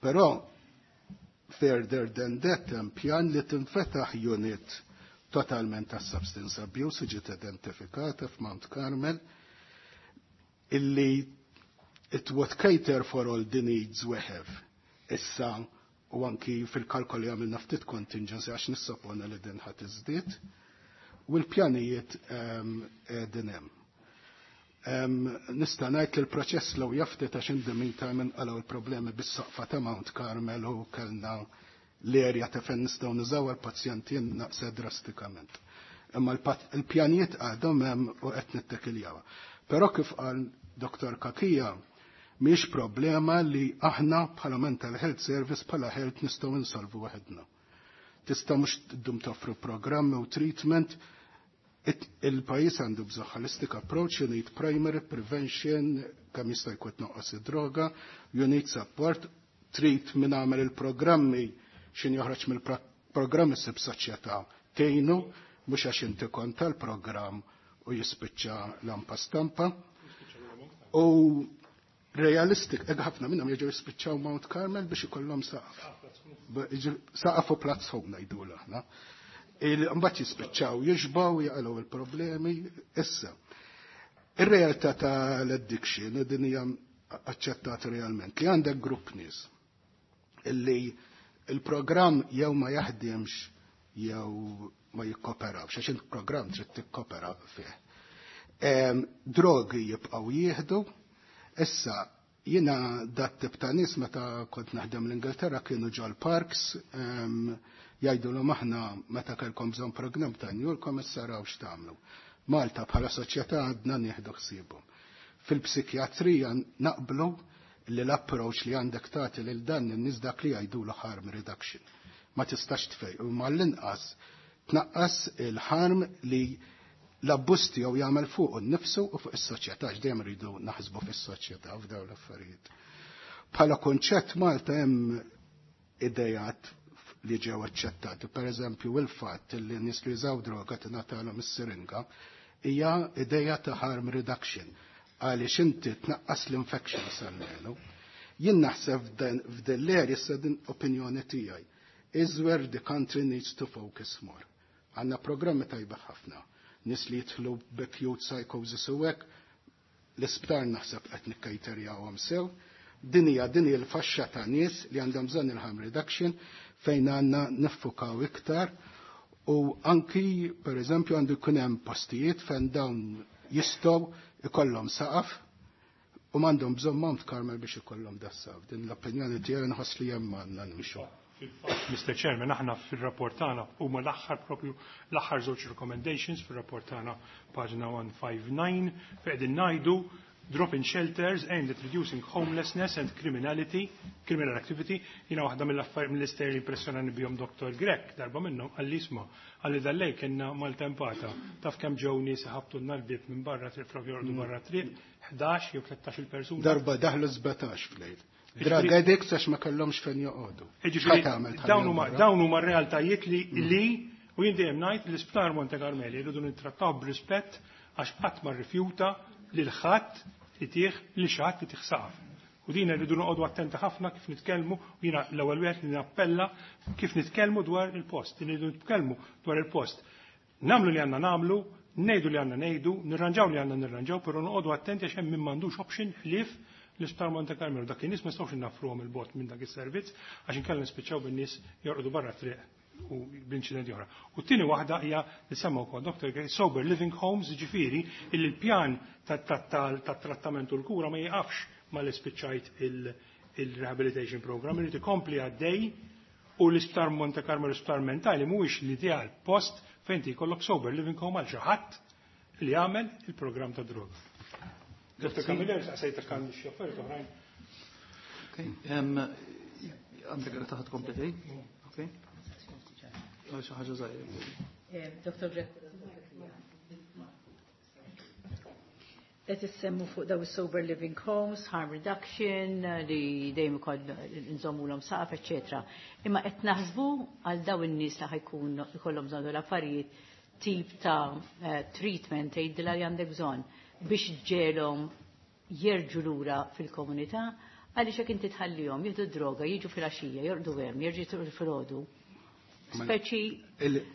[SPEAKER 4] però further than that hemm pjan li tinfetaħ unit totalment ta' substance abuse ġiet identifikata f'Mount Carmel illi it would cater for all the needs we have. Issa u anki fil-kalkoli għamilna ftit contingency għax nissoppona li din ħadd iżdied u l-pjanijiet din hemm. Nista' ngħid li l-proċess law jaftit għax in the meantime inqalgħu l-problemi bis-soqfa ta' Mount Carmel u kellna l-erja ta' fejn nistgħu nużaw għall-pazjenti naqsa drastikament. Imma l-pjanijiet għadhom hemm u qed nittekiljawha. Però kif qal Dr. Cachia, mhix problema li aħna bħala Mental Health Service bħala health nistgħu insolvu waħedna. Tista' mhux tdum toffru programmi u treatment, il-pajjiż għandu bżonn holistic approach, you need primary prevention, kemm jista' jkun tnaqqas id-droga, you need support, trid min għamel il-programmi xin joħroġ mill-programmi sib soċjetà tgħinu mhux għax inti kont tal-programm u jispiċċa lampa stampa. U realistic, eg ħafna minnhom jiġu jispiċċaw Mount Carmel biex ikollhom saqaf. Saqaf u platzhom ngħidu aħna. Mbagħad jispiċċaw jixbaw jaqalgħu il-problemi issa. Ir-realtà tal-addiction din hija aċċettat realment li għandek grupp nies illi il-programm jew ma jaħdimx jew ma jikkoperawx, għax il-programm trid tikkopera fih. Drogi jibqgħu jieħdu, issa jiena dat tip ta' nies meta kont naħdem l-Ingilterra kienu ġol parks, jgħidulhom aħna meta kellkom bżonn programm ta' njulkom issa raw x'tagħmlu. Malta bħala soċjetà għadna nieħdu ħsiebhom. Fil-psikjatrija naqblu li l-approach li għandek tagħti lil dan in-nies dak li jgħidulu harm reduction. Ma tistax tfej, u mal-inqas tnaqqas il-harm li l-abbuż tiegħu jagħmel fuq nnifsu u fuq is-soċjetà, x'dejjem rridu naħsbu fis-soċjetà f'dawn l-affarijiet. Bħala konċett Malta hemm idejat li ġew aċċettati, pereżempju il-fatt li nies li jużaw droga tingħatalhom is-siringa hija ideja ta' harm reduction għaliex inti tnaqqas l-infections almenu. Jien naħseb f'din l-area issa din opinjoni tiegħi is where the country needs to focus more. Għandna programmi tajba ħafna. Nies li jidħlu b'acute psychosis u hekk, l-isptar naħseb qed nikkejterjawhom sew. Din hija din hija l-faxxa ta' nies li għandhom bżonn il-harm reduction fejn għandna niffukaw iktar u anki per eżempju għandu jkun hemm postijiet fejn dawn jistgħu ikollhom saqaf u m'għandhom bżonn Mount Carmel biex ikollhom das-saqaf. Din l-opinjoni tiegħi nħoss li hemm għandna nimxu.
[SPEAKER 2] Mr. Chairman, aħna fil-rapport tagħna huma l-aħħar propju l-aħħar żewġ recommendations fil-rapport tagħna paġna one five nine fejn qegħdin ngħidu drop-in shelters aimed at reducing homelessness and criminality, criminal activity. Jiena waħda mill-affarijiet mill-istejjer li impressjonani bihom Dr. Grech, darba minnhom qalli isma' qalli dal-lejl kellna maltempata. Taf kemm ġew nies iħabtu l-bieb minn barra triq flok jorqdu barra triq, ħdax jew tlettax-il persuna.
[SPEAKER 4] Darba daħlu sbatax f'lejl. Drug addicts għax ma kellhomx fejn joqogħdu.
[SPEAKER 2] Ġifieri dawn huma dawn huma realtajiet li li u jien dejjem ngħid l-isptar Monte Carmeli jridu nittrattaw b'rispett għax qatt ma rrifjuta lil ħadd li tih li xi ħadd li tih saqaf. U din rridu noqogħdu attenti ħafna kif nitkellmu, u jiena l-ewwel wieħed li nappella kif nitkellmu dwar il-post, rridu nitkellmu dwar il-post. Nagħmlu li għandna nagħmlu, ngħidu li għandna ngħidu, nirranġaw li għandna nirranġaw, però noqogħdu attenti għax hemm min m'għandux option ħlief l-isptar Monte Carmelo. Dak in-nies ma nistgħux innafruhom il-bogħod minn dak is-servizz għax inkella nispiċċaw bin-nies jorqdu barra triq u b'inċidenti oħra. U t-tieni waħda hija li semma wkoll Dr. Grech, sober living homes, ġifieri illi l-pjan tat-trattament u l-kura ma jieqafx ma li spiċċajt il-rehabilitation program, irid ikompli għaddej u l-isptar Monte Carmelo l-isptar mentali mhuwiex l-ideal post fejn jkollok sober living home għal xi ħadd li jagħmel il-programm ta' droga. Dr. Camilleri, saqsejtek kan xi affarijiet oħrajn.
[SPEAKER 1] Għandek taħt kompletej? Ok. Xi ħaġa żgħira.
[SPEAKER 3] Dr. Grech. Qed issemmu fuq daw sober living homes, harm reduction, li dejjem ukoll nżommulhom saqaf, eċetera. Imma qed naħsbu għal daw in-nies li ħajkun ikollhom bżonn l-affarijiet tip ta' eh, treatment tgħidilha li għandek bżonn biex ġelhom jerġu lura fil-komunità għaliex jekk inti tħallihom jieħdu droga, jiġu fil-għaxija, jorqdu hemm, jerġgħu filgħodu. Speċi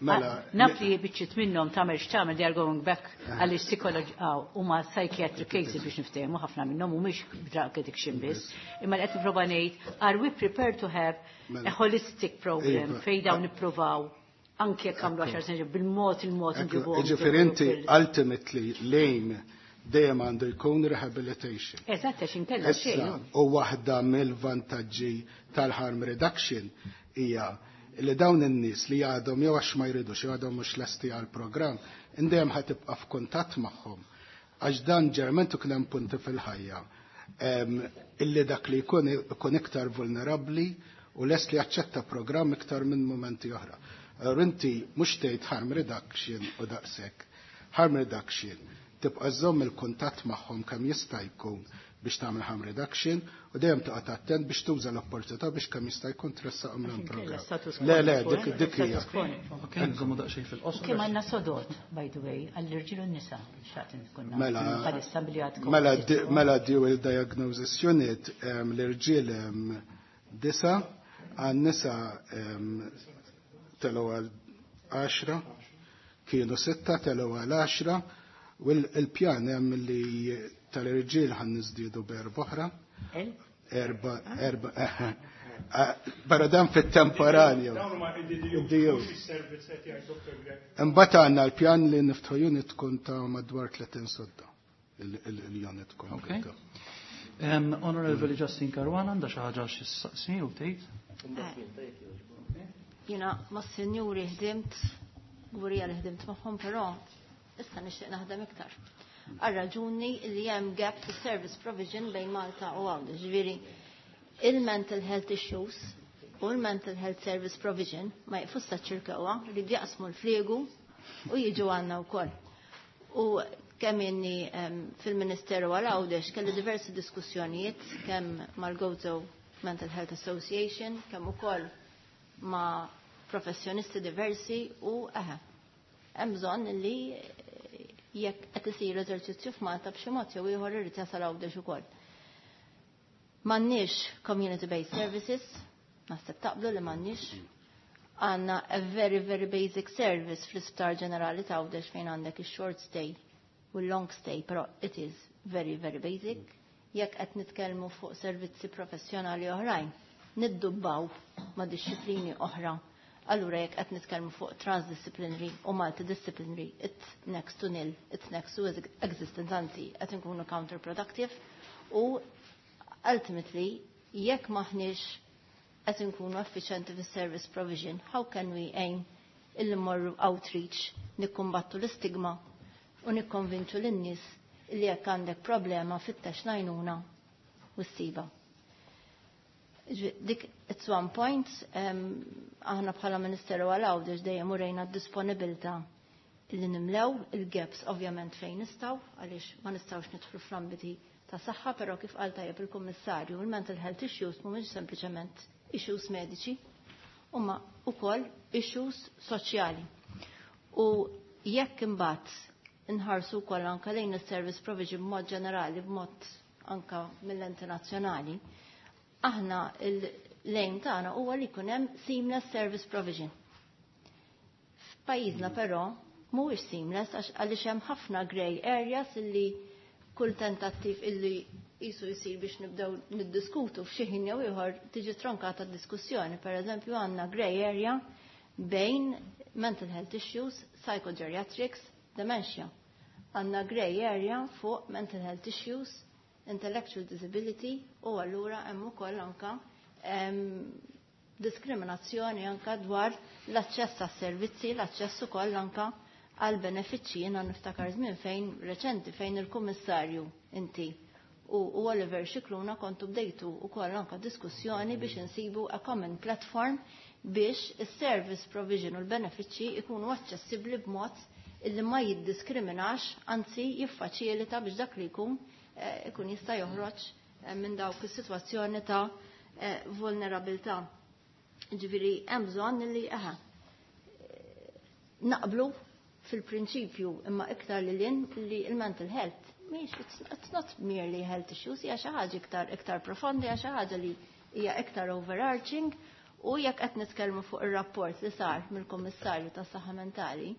[SPEAKER 4] Mela,
[SPEAKER 3] naf li biċċiet minnhom tagħmel x'tagħmel, they are going back għaliex psychology huma psychiatric cases biex niftehmu, ħafna minnhom mhumiex drug addiction biss. Imma li qed nipprova ngħid, are we prepared to have a holistic program fejn dawn nippruvaw anke jekk għamlu għaxar snin bil-mod il-mod nġibuhom?
[SPEAKER 4] Ġifieri inti ultimately l-aim dejjem għandu jkun rehabilitation.
[SPEAKER 3] Eżatt, għax inkella xejn.
[SPEAKER 4] U waħda mill-vantaġġi tal-harm reduction hija li dawn in-nies li għadhom jew għax ma jridux jew għadhom mhux lesti għall-programm, indejjem ħa tibqa' f'kuntatt magħhom. Għax dan ġeneralment ikun hemm punti fil-ħajja illi dak li jkun ikun iktar vulnerabbli u lest li jaċċetta programm iktar minn momenti oħra. Allura inti mhux tgħid harm reduction u daqshekk. Harm reduction tibqa' żomm il-kuntatt magħhom kemm jista' jkun biex tagħmel harm reduction u dejjem toqgħod attent biex tuża l-opportunità biex kemm jista' jkun tressaqhom l programm. Le, le, dik dik hija.
[SPEAKER 1] Ok, nżommu daqsxejn fil-qosor.
[SPEAKER 3] Kemm għandna sodod, by the way, għall-irġiel u n-nisa, xtaqt nkun
[SPEAKER 4] Mela,
[SPEAKER 3] bħalissa billi għadkom.
[SPEAKER 4] Mela, mela Dual Diagnosis Unit l-irġiel disa, għan-nisa telgħu għal għaxra, kienu sitta telgħu għal għaxra, u l-pjan hemm li tal-irġiel ħan niżdiedu b'erba' oħra. Erba, erba, barra dan fit-temporanju. Imbagħad għandna l-pjan li niftħu unit tkun ta' madwar tletin sodda il-unit
[SPEAKER 1] kompluta. Honorable Justin Caruana għandha xi ħaġa xi ssaqsi u tgħid?
[SPEAKER 6] Jiena mas-sinjuri ħdimt, gburija li ħdimt magħhom, però issa nixtieq naħdem iktar. Għal raġuni li hemm gap to service provision bejn Malta u Għawdex. Ġifieri il-mental health issues u l-mental health service provision ma jqfux sa Ċirkewwa, li jaqsmu l-fliegu u jiġu għandna wkoll. U kemm inni fil-Ministeru għal Għawdex kelli diversi diskussjonijiet kemm mal-Gozo Mental Health Association, kemm ukoll ma' professjonisti diversi u eħe. Hemm bżonn li jekk qed isir eżerċizzju f'Malta b'xi mod jew ieħor irid jasal Għawdex ukoll. M'għandniex community-based services, naħseb taqblu li m'għandniex. Għandna a very, very basic service fl-Isptar Ġenerali ta' Għawdex fejn għandek ix-short stay u l-long stay, però it is very, very basic. Jekk qed nitkellmu fuq servizzi professjonali oħrajn, niddubbaw ma' disċiplini oħra. Allura jekk qed nitkellmu fuq transdisciplinary u multidisciplinary, it's next to nil, it's next to existence, anzi, qed inkunu counterproductive u ultimately jekk maħniex qed inkunu effiċjenti fis-service provision, how can we aim illi mmorru outreach, nikkumbattu l-istigma u nikkonvinċu lin-nies illi jekk għandek problema fittex l-għajnuna u ssiba? Dik it's one point, aħna bħala Ministeru għal Għawdex dejjem urejna d-disponibilità illi nimlew il-gaps ovvjament fejn nistgħu, għaliex ma nistgħux nidħlu fl-ambiti ta' saħħa, però kif qal tajjeb il-Kummissarju, il-mental health issues mhumiex sempliċement issues mediċi, huma wkoll issues soċjali. U jekk imbagħad inħarsu wkoll anke lejn is-service provision b'mod ġenerali, b'mod anka mill-enti nazzjonali, aħna l-aim tagħna huwa li jkun hemm seamless service provision. F'pajjiżna però mhuwiex seamless għaliex hemm ħafna grey areas illi kull tentattiv illi jisu jisir biex nibdew niddiskutu f'xi ħin jew ieħor tiġi tronkata d-diskussjoni. Per eżempju għandna grey area bejn mental health issues, psychogeriatrics, dementia. Għandna grey area fuq mental health issues, intellectual disability u allura hemm ukoll anka diskriminazzjoni anka dwar l-aċċess għas-servizzi, l-aċċess ukoll anka għal benefiċċji. Jiena niftakar żmien fejn reċenti fejn il-Kummissarju inti u, u Oliver Scicluna kontu bdejtu ukoll anka diskussjoni biex insibu a common platform biex is-service provision u l-benefiċċji ikunu aċċessibbli b'mod illi ma jiddiskriminax, anzi jiffaċilita biex dak li jkun ikun jista' joħroġ minn dawk is-sitwazzjoni ta' vulnerabilità. Ġifieri hemm bżonn li eħe naqblu fil-prinċipju imma iktar li lin li il-mental health mhix it's, it's not merely health issues, hija xi ħaġa iktar iktar profondi, hija xi ħaġa li hija iktar overarching U jekk qed nitkellmu fuq ir-rapport li sar mill-Kummissarju tas-Saħħa Mentali,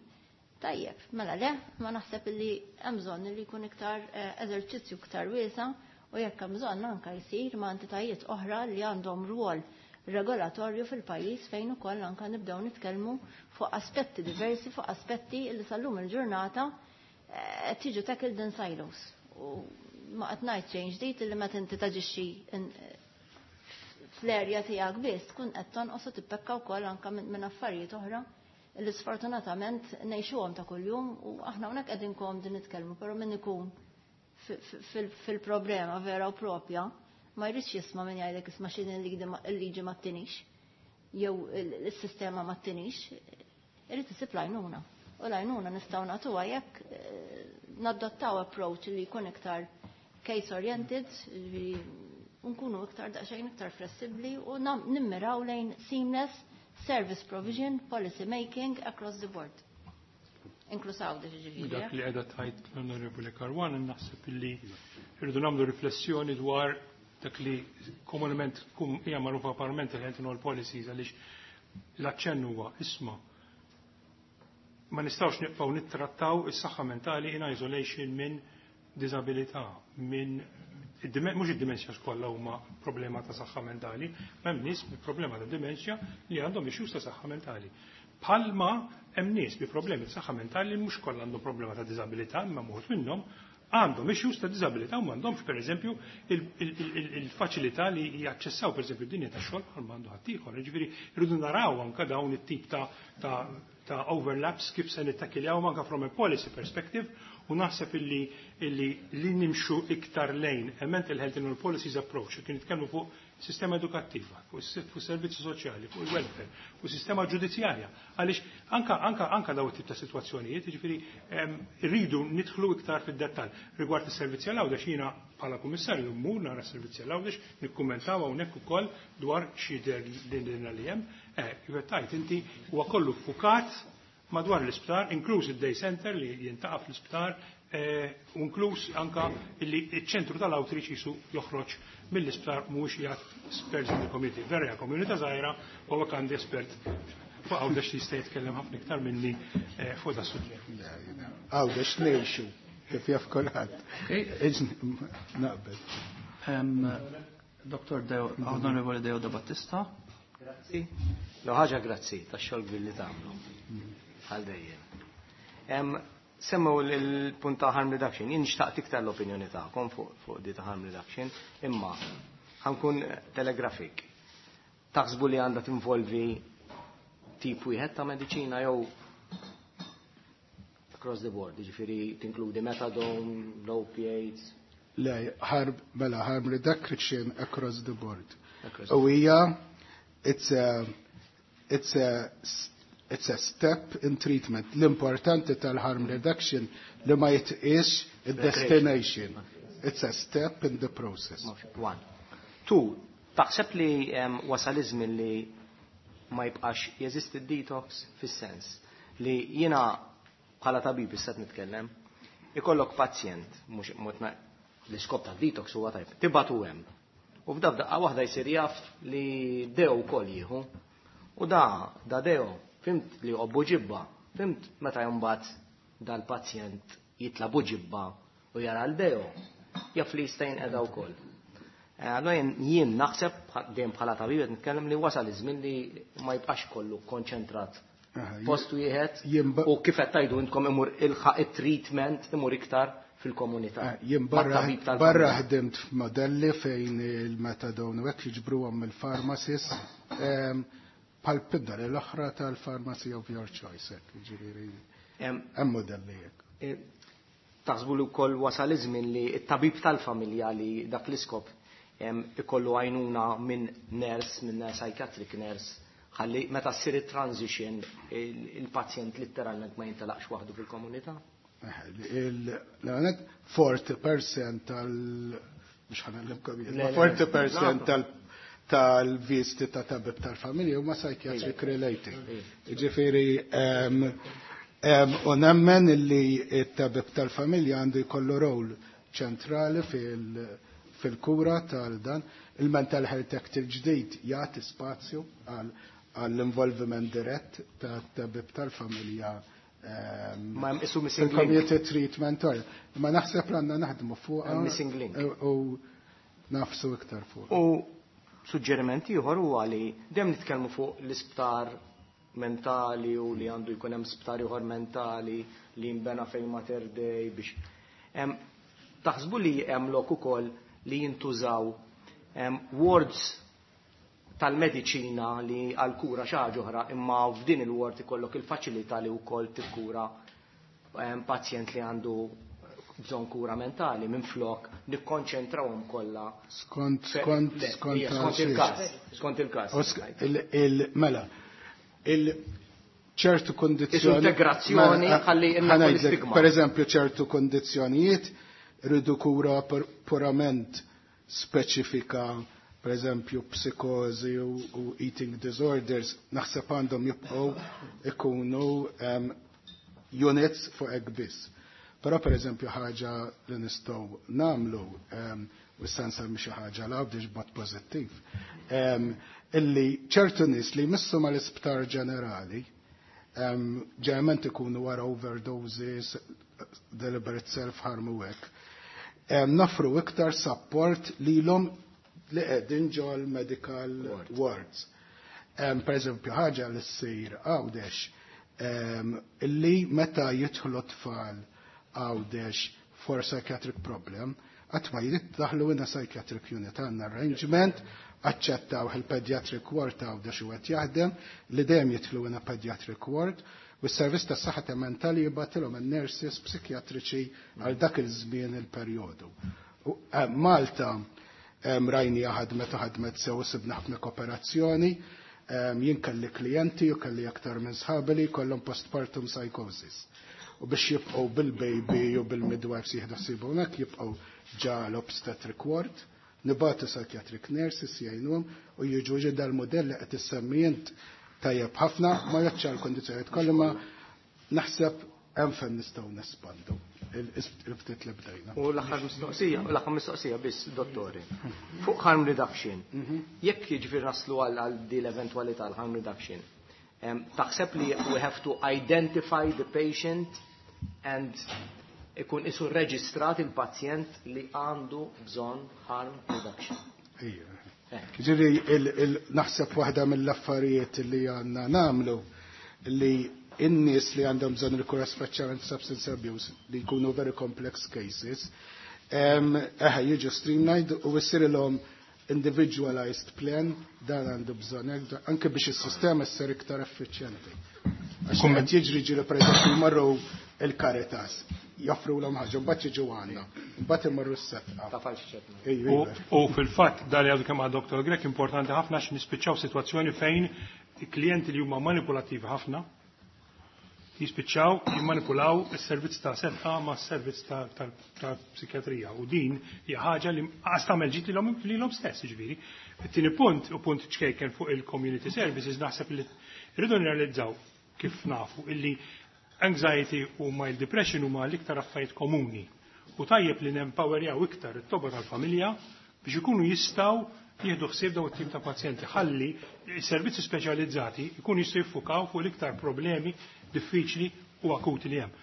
[SPEAKER 6] tajjeb, mela le, ma naħseb li hemm bżonn li jkun iktar eżerċizzju iktar wiesa' u jekk hemm bżonn anke jsir ma' entitajiet oħra li għandhom rwol regolatorju fil-pajjiż fejn ukoll anke nibdew nitkellmu fuq aspetti diversi, fuq aspetti li sal-lum il-ġurnata qed jiġu tackled in silos. U ma qed ngħid xejn ġdid li meta inti taġixxi fl-erja tiegħek biss tkun qed tonqos u tippekka wkoll anke minn affarijiet oħra li sfortunatament ngħixuhom ta' kuljum u aħna hawnhekk qegħdin komdi nitkellmu, però min ikun fil-problema vera u propja ma jridx jisma' min jgħidlek isma' x'inhi l-liġi ma ttinix jew is-sistema ma ttinix, irid isib l-għajnuna. U l-għajnuna nistgħu nagħtuha jekk nadottaw approach li jkun iktar case oriented, nkunu iktar daqsxejn iktar flessibbli u nimmiraw lejn seamless service provision, policy making across the board. Inkluż Għawdex ġifieri.
[SPEAKER 2] Dak li qiegħda tgħid l-Onorevoli Caruana naħseb illi rridu nagħmlu riflessjoni dwar dak li komunement tkun hija magħrufa parlament il all policies, għaliex l-aċċenn huwa isma' ma nistgħux nibqgħu nittrattaw is-saħħa mentali in isolation minn diżabilità, minn mhux id-dimensja kollha huma problema ta' saħħa mentali, ma hemm nies bi problema ta' dimensja li għandhom issues ta' saħħa mentali. Palma hemm nies bi problemi ta' saħħa mentali li mhux kollha għandhom problema ta' diżabilità, imma wħud minnhom għandhom issues ta' diżabilità u m'għandhomx pereżempju il-faċilità li jaċċessaw pereżempju d-dinja tax-xogħol bħal m'għandu ħaddieħor. Jiġifieri rridu naraw anke dawn it-tip ta' ta' overlaps kif se nittakiljaw anke from a policy perspective, u naħseb illi illi li nimxu iktar lejn a mental health and policies approach, kien nitkellmu fuq sistema edukattiva, fuq servizzi soċjali, fuq il-welfare, fuq sistema ġudizzjarja. Għaliex anka anka anka daw it-tip ta' sitwazzjonijiet, jiġifieri rridu nidħlu iktar fid-dettall. Rigward is-servizzi għal Għawdex, jiena bħala kummissarju mmur nara s-servizzi għal Għawdex, nikkummentaw hawnhekk ukoll dwar xi din li hemm. Kif qed tgħid inti huwa kollu ffukat madwar l-isptar, inkluż id-day center li jintaqa' fl-isptar, inkluż anka li ċ-ċentru tal-outreach jisu joħroġ mill-isptar mhuwiex qiegħed spers in the community. Vera hija komunità żgħira u hawnhekk għandi espert fuq Għawdex li jista' jitkellem ħafna iktar minni fuq da suġġett.
[SPEAKER 4] Għawdex ngħixu kif jaf kulħadd. Naqbel.
[SPEAKER 1] Doktor Deo, Onorevole Deo Da Battista.
[SPEAKER 7] Grazzi. Lo ħaġa grazzi tax-xogħol billi tagħmlu. Għal dejjem. Semmu l-punt ta' harm reduction, jien xtaqt iktar l-opinjoni tagħkom fuq di ta' harm reduction, imma ħankun telegrafik. Taħsbu li għandha tinvolvi tip wieħed ta' mediċina jew across the board, jiġifieri tinkludi methadone, opiates?
[SPEAKER 4] Le, harm, mela, harm reduction across the board. U hija it's a it's a it's a step in treatment. L-importanti tal-harm reduction li ma jitqis il-destination. It's a step in the process.
[SPEAKER 7] One. Two, taħseb li wasal iż-żmien li ma jibqax jeżisti d-detox fis-sens li jiena bħala tabib issa nitkellem, ikollok pazjent, mhux l-iskop tad-detox huwa tajb, tibatu hemm. U f'daf daqqa waħda jsir jaf li deo wkoll jieħu. U da, da deo, fimt li obbu ġibba, fimt meta jumbat dal-pazjent jitla buġibba u jara l-deo, jaf li jista' jinqeda wkoll. Allora jien naħseb dejjem bħala tabib qed nitkellem li wasal iż-żmien li ma jibqax kollu konċentrat post wieħed u kif qed tgħidu intkom imur ilħaq it-treatment imur iktar fil-komunità.
[SPEAKER 4] Jien barra barra ħdimt f'modelli fejn il-metadone u hekk jiġbruhom mill-pharmacies bħal pidda l-oħra tal-pharmacy of your choice, hekk, jiġifieri hemm modelli hekk.
[SPEAKER 7] Taħsbu li wkoll wasal iż-żmien li t-tabib tal-familja li dak l-iskop ikollu għajnuna minn nurse, minn psychiatric nurse, ħalli meta ssir it-transition il-pazjent letteralment ma jintelaqx waħdu fil-komunità?
[SPEAKER 4] L-għanet forty percent tal mhux ħanallimkom jien, forty percent tal tal-visti ta' tabib tal-familja huma psychiatric related. Ġifieri u nemmen li t-tabib tal-familja għandu jkollu rol ċentrali fil-kura tal-dan. Il-Mental Health Act il-ġdid jagħti spazju għall-involviment dirett ta' tabib tal-familja
[SPEAKER 7] Ma hemm isu missing link.
[SPEAKER 4] Community treatment. Ma naħseb li għandna naħdmu fuq
[SPEAKER 7] missing link.
[SPEAKER 4] U nafsu iktar fuq.
[SPEAKER 7] U suġġeriment ieħor huwa li dejjem nitkellmu fuq l-isptar mentali u li għandu jkun hemm sptar ieħor mentali li jinbena fejn Mater Dei biex taħsbu li hemm lok ukoll li jintużaw wards tal-mediċina li għal kura xi ħaġa oħra, imma f'din il-ward ikollok il-faċilità li wkoll tikkura pazjent li għandu bżonn kura mentali, minn flok nikkonċentrawhom kollha.
[SPEAKER 4] Skont skont skont
[SPEAKER 7] skont il-każ. Skont il-każ.
[SPEAKER 4] Mela, il ċertu kondizzjoni.
[SPEAKER 7] Integrazzjoni ħalli l-istigma.
[SPEAKER 4] Per eżempju, ċertu kondizzjonijiet rridu kura purament speċifika, per eżempju psikozi u, u eating disorders, naħseb għandhom jibqgħu ikunu um, units fuq hekk biss. Però per eżempju ħaġa li nistgħu nagħmlu, um, u issa nsemmi xi ħaġa l biex b'mod pożittiv, um, illi ċertu nies li jmissu mal-isptar ġenerali, um, ġeneralment ikunu wara overdoses, deliberate self-harm u hekk, um, nafru iktar support lilhom li qegħdin ġol medical wards. Um, per eżempju, ħaġa li ssir Għawdex, um, illi meta jidħlu tfal Għawdex for psychiatric problem, qatt ma jiddaħlu in a psychiatric unit, għandna arrangement, aċċettaw il-pediatric ward Għawdex u qed jaħdem, li dejjem jidħlu in a pediatric ward, u s-servizz tas saħħa mentali jibgħatilhom in-nurses psikjatriċi għal dak il-żmien il-perjodu. Malta rajni ħadmet u ħadmet sew, sibna ħafna kooperazzjoni, jien kelli klijenti u kelli aktar minn sħabi li kollhom postpartum psychosis. U biex jibqgħu bil-baby u bil-midwives jieħdu ħsibu hekk, jibqgħu ġa l-obstetric ward, nibatu psychiatric nurses jgħinuhom u jiġu ġi dal-modell li qed issemmi int tajjeb ħafna, ma jaċċa l-kondizzjonijiet kollha, ma naħseb hemm fejn nistgħu nespandu il-ftit li bdejna.
[SPEAKER 7] U l-aħħar mistoqsija, u l-aħħar mistoqsija biss, dottori. Fuq harm reduction. Jekk jiġifieri naslu għal di l-eventwalità l-harm reduction, taħseb li we have to identify the patient and ikun isu reġistrat il-pazjent li għandu bżonn harm reduction?
[SPEAKER 4] Ejja. Ġifieri naħseb waħda mill-affarijiet li għandna nagħmlu li in-nies li għandhom bżonn il-kura, speċjalment substance abuse, li jkunu very complex cases, eħe jiġu streamlined u jsirilhom individualized plan, dan għandu bżonn, anke biex is-sistema ssir iktar effiċjenti. Għax qed jiġri ġieli, pereżempju, jmorru il-Caritas, joffru l ħaġa, mbagħad jiġu għandna, mbagħad imorru s-Sedqa.
[SPEAKER 2] U fil-fatt dal għadu kemm għad Dottor Grech importanti ħafna għax nispiċċaw sitwazzjoni fejn klijenti li huma manipulattivi ħafna jispiċċaw jimmanipulaw is-servizz ta' Sedqa ma' s-servizz ta' psikjatrija. U din hija ħaġa li qas tagħmel ġid lilhom stess, ġifieri. It-tieni punt, u punt ċkejken fuq il-community services, naħseb li rridu nirrealizzaw kif nafu illi anxiety u mild depression huma l-iktar affarijiet komuni. U tajjeb li nempowerjaw iktar it-tobba tal-familja biex ikunu jistgħu jieħdu ħsieb daw it-tip ta' pazjenti, ħalli servizzi speċjalizzati jkunu jistgħu jiffukaw fuq l-iktar problemi diffiċli u akuti li hemm.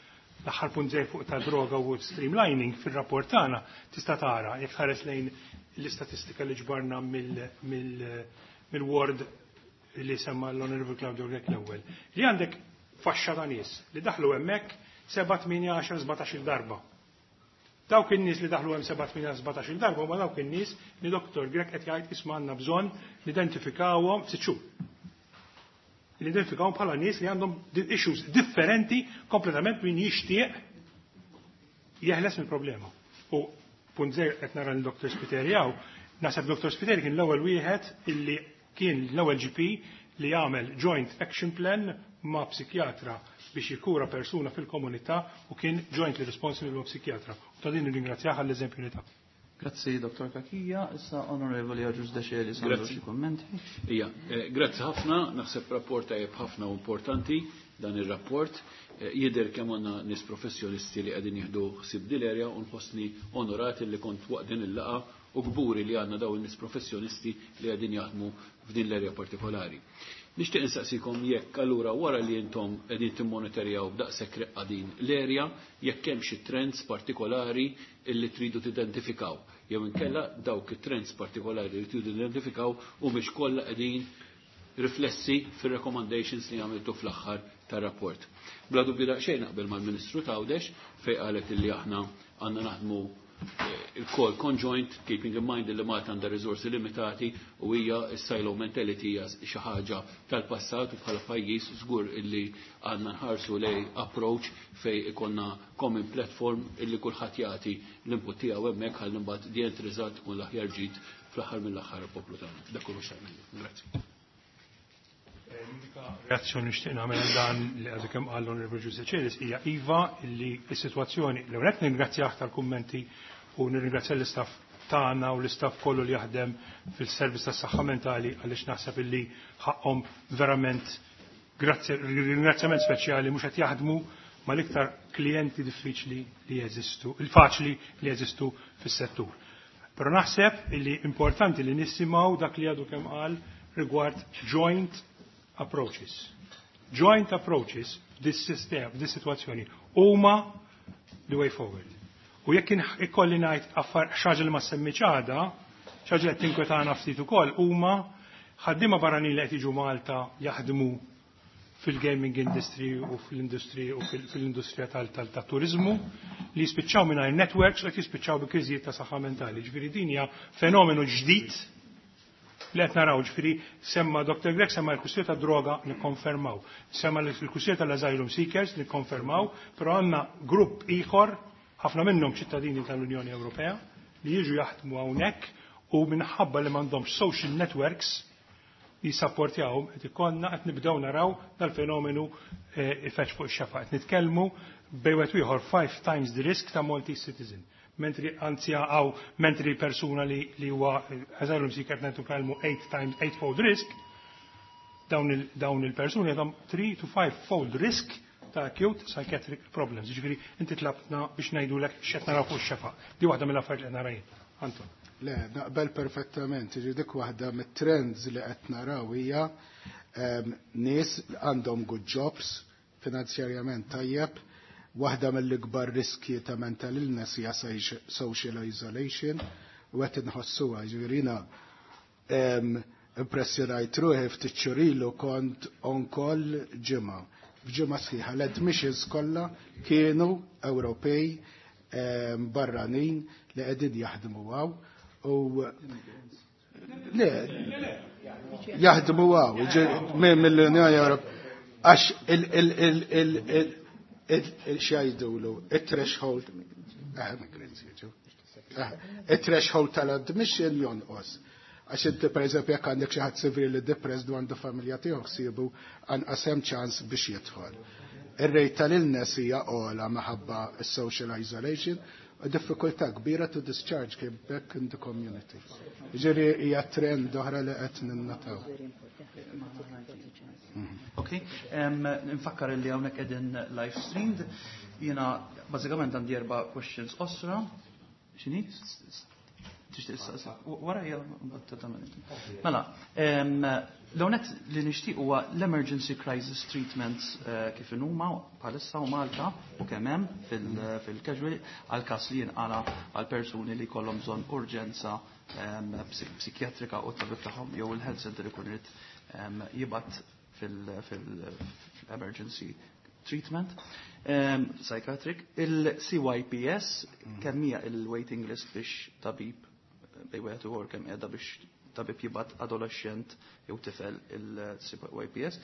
[SPEAKER 2] L-aħħar punt żej fuq ta' droga u streamlining, fir-rapport tagħna tista' tara, jekk ħares lejn l-istatistika li ġbarna mill-ward li semma l-Honorable Claudio Grech l-ewwel. Li għandek faxxa ta' nies li daħlu hemmhekk seba', tmienja, għaxar, sbatax-il darba. Dawk in-nies li daħlu hemm seba', tmienja, sbatax-il darba huma dawk in-nies li Dottor Grech qed jgħid isma' għandna bżonn nidentifikawhom f'sitt xhur. Nidentifikawhom bħala nies li għandhom issues differenti kompletament min jixtieq jeħles mill-problema. U punt żgħir, qed nara lil Dottor Spiteri hawn, naħseb Dottor Spiteri kien l-ewwel wieħed illi kien l-ewwel G P li jagħmel joint action plan ma' psikjatra biex jikura persuna fil-komunità u kien jointly responsible ma' psikjatra. U ta' din nirringrazzjah għall-eżempju li ta.
[SPEAKER 1] Grazzi, Dottor Cachia. Issa Onorevoli Agius Decelis għandu
[SPEAKER 8] Grazzi.
[SPEAKER 1] xi kummenti.
[SPEAKER 8] Ija, eh, grazzi ħafna, naħseb rapport tajjeb ħafna u importanti. dan ir-rapport. Jidher kemm għandna nies professjonisti li qegħdin jieħdu ħsieb din l-erja u nħossni onorati li kont waqt din il-laqgħa u kburi li għandna dawn in-nies professjonisti li qegħdin jaħdmu f'din l-erja partikolari. Nixtieq insaqsikom jekk allura wara li intom qegħdin timmonitorjaw b'daqshekk reqqa din l-erja, jekk hemm xi trends partikolari illi tridu tidentifikaw. Jew inkella dawk it-trends partikolari li tridu tidentifikaw u mhix kollha qegħdin riflessi fir-recommendations li għamiltu fl-aħħar tar-rapport. Bla dubju daqsxejn naqbel mal-Ministru t'Għawdex fejn qalet illi aħna għandna naħdmu il-call conjoint, keeping in mind li Malta għandha riżorsi limitati u hija s-silo mentality hija xi ħaġa tal-passat u bħala pajjiż żgur illi għandna nħarsu lej approach fej ikonna common platform illi kulħadd jagħti l-input tiegħu hemmhekk ħalli mbagħad the end result tkun l-aħjar ġid fl-aħħar mill-aħħar poplu tagħna. Dak kollu x'għamilna. Grazzi.
[SPEAKER 2] L-unika reazzjoni nixtieq nagħmel dan li għadu kemm qal l-Onorevoli Giuseppe Celis hija iva illi s-sitwazzjoni l-ewwel qed nirringrazzjah tal-kummenti u nirringrazzja l-istaff tagħna u l-istaff kollu li jaħdem fil-servizz tas-saħħa mentali għaliex naħseb illi ħaqhom verament ringrazzjament speċjali mhux qed jaħdmu mal-iktar klijenti diffiċli li jeżistu, il-faċli li jeżistu fis-settur. Però naħseb illi importanti li nisimgħu dak li għadu kemm qal rigward joint approaches. Joint approaches f'dis sistema, f'dis situazzjoni huma the way forward. U jekk ikolli ngħid affar xi ħaġa li ma semmitx għada, xi ħaġa li qed tinkwetana ftit ukoll huma ħaddiema barranin li qed jiġu Malta jaħdmu fil-gaming industry u fil-industry u fil-industrija tal-turizmu li jispiċċaw mingħajr networks u qed jispiċċaw bi kriżijiet ta' saħħa mentali. Ġifieri din hija fenomenu ġdid li qed naraw, ġifieri semma Doctor Grech semma l-kwistjoni ta' droga nikkonfermaw. Semma l-kwistjoni tal-asylum seekers nikkonfermaw, però għandna grupp ieħor ħafna minnhom ċittadini tal-Unjoni Ewropea li jiġu jaħdmu hawnhekk u minħabba li m'għandhomx social networks jisapportjawhom qed ikollna qed nibdew naraw dal-fenomenu ifeġġ fuq ix-xefaq. Qed nitkellmu bejn wieħed ieħor five times the risk ta' Maltese citizen. Mentri anzi għaw mentri persuna li li huwa asylum seeker qed nitkellmu eight times eightfold risk, dawn il-persuni għandhom three to five fold risk ta' acute psychiatric problems. Ġifieri inti tlabtna biex ngħidulek x'qed naraw fuq ix-xefaq. Di waħda mill-affarijiet li qed nara jien. Anton.
[SPEAKER 4] Le, naqbel perfettament. Ġifieri dik waħda mit-trends li qed naraw hija nies għandhom good jobs, finanzjarjament tajjeb, waħda mill-ikbar riski ta' mental illness hija social isolation u qed inħossuha. Ġifieri jiena impressjonajt ruħi ftit xhur ilu kont on call ġimgħa. F'ġimgħa sħiħa l-admissions kollha kienu Ewropej barranin li qegħdin jaħdmu hawn u le jaħdmu hawn mill-Unjoni Ewropea għax il-xajdulu, il-threshold, il-threshold tal-admission jonqos. Għax inti per eżempju jekk għandek xi ħadd severely depressed u għandu familja tiegħu ħsiebu anqas hemm ċans biex jidħol. Ir-rate tal-illness hija ogħla minħabba social isolation u diffikultà kbira to discharge him back in the community. Ġifieri hija trend oħra li qed ninnataw.
[SPEAKER 1] Ok, nfakkar li hawnhekk qegħdin live streamed. Jiena bażikament għandi erba' questions osra. X'inhi? Wara hija Mela, l-għonet li nixtieq huwa l-emergency crisis treatments kif huma bħalissa u Malta u kemm hemm fil-casual għal każ li jinqala għal persuni li jkollhom bżonn urġenza psikjatrika u tabib tagħhom jew il-health center ikun irid jibgħat fil-emergency treatment um, psychiatric. Il-C Y P S, kemm hija il-waiting list biex tabib bejn wieħed u kemm qiegħda biex tabib jibgħat adolescent jew tifel il-C Y P S?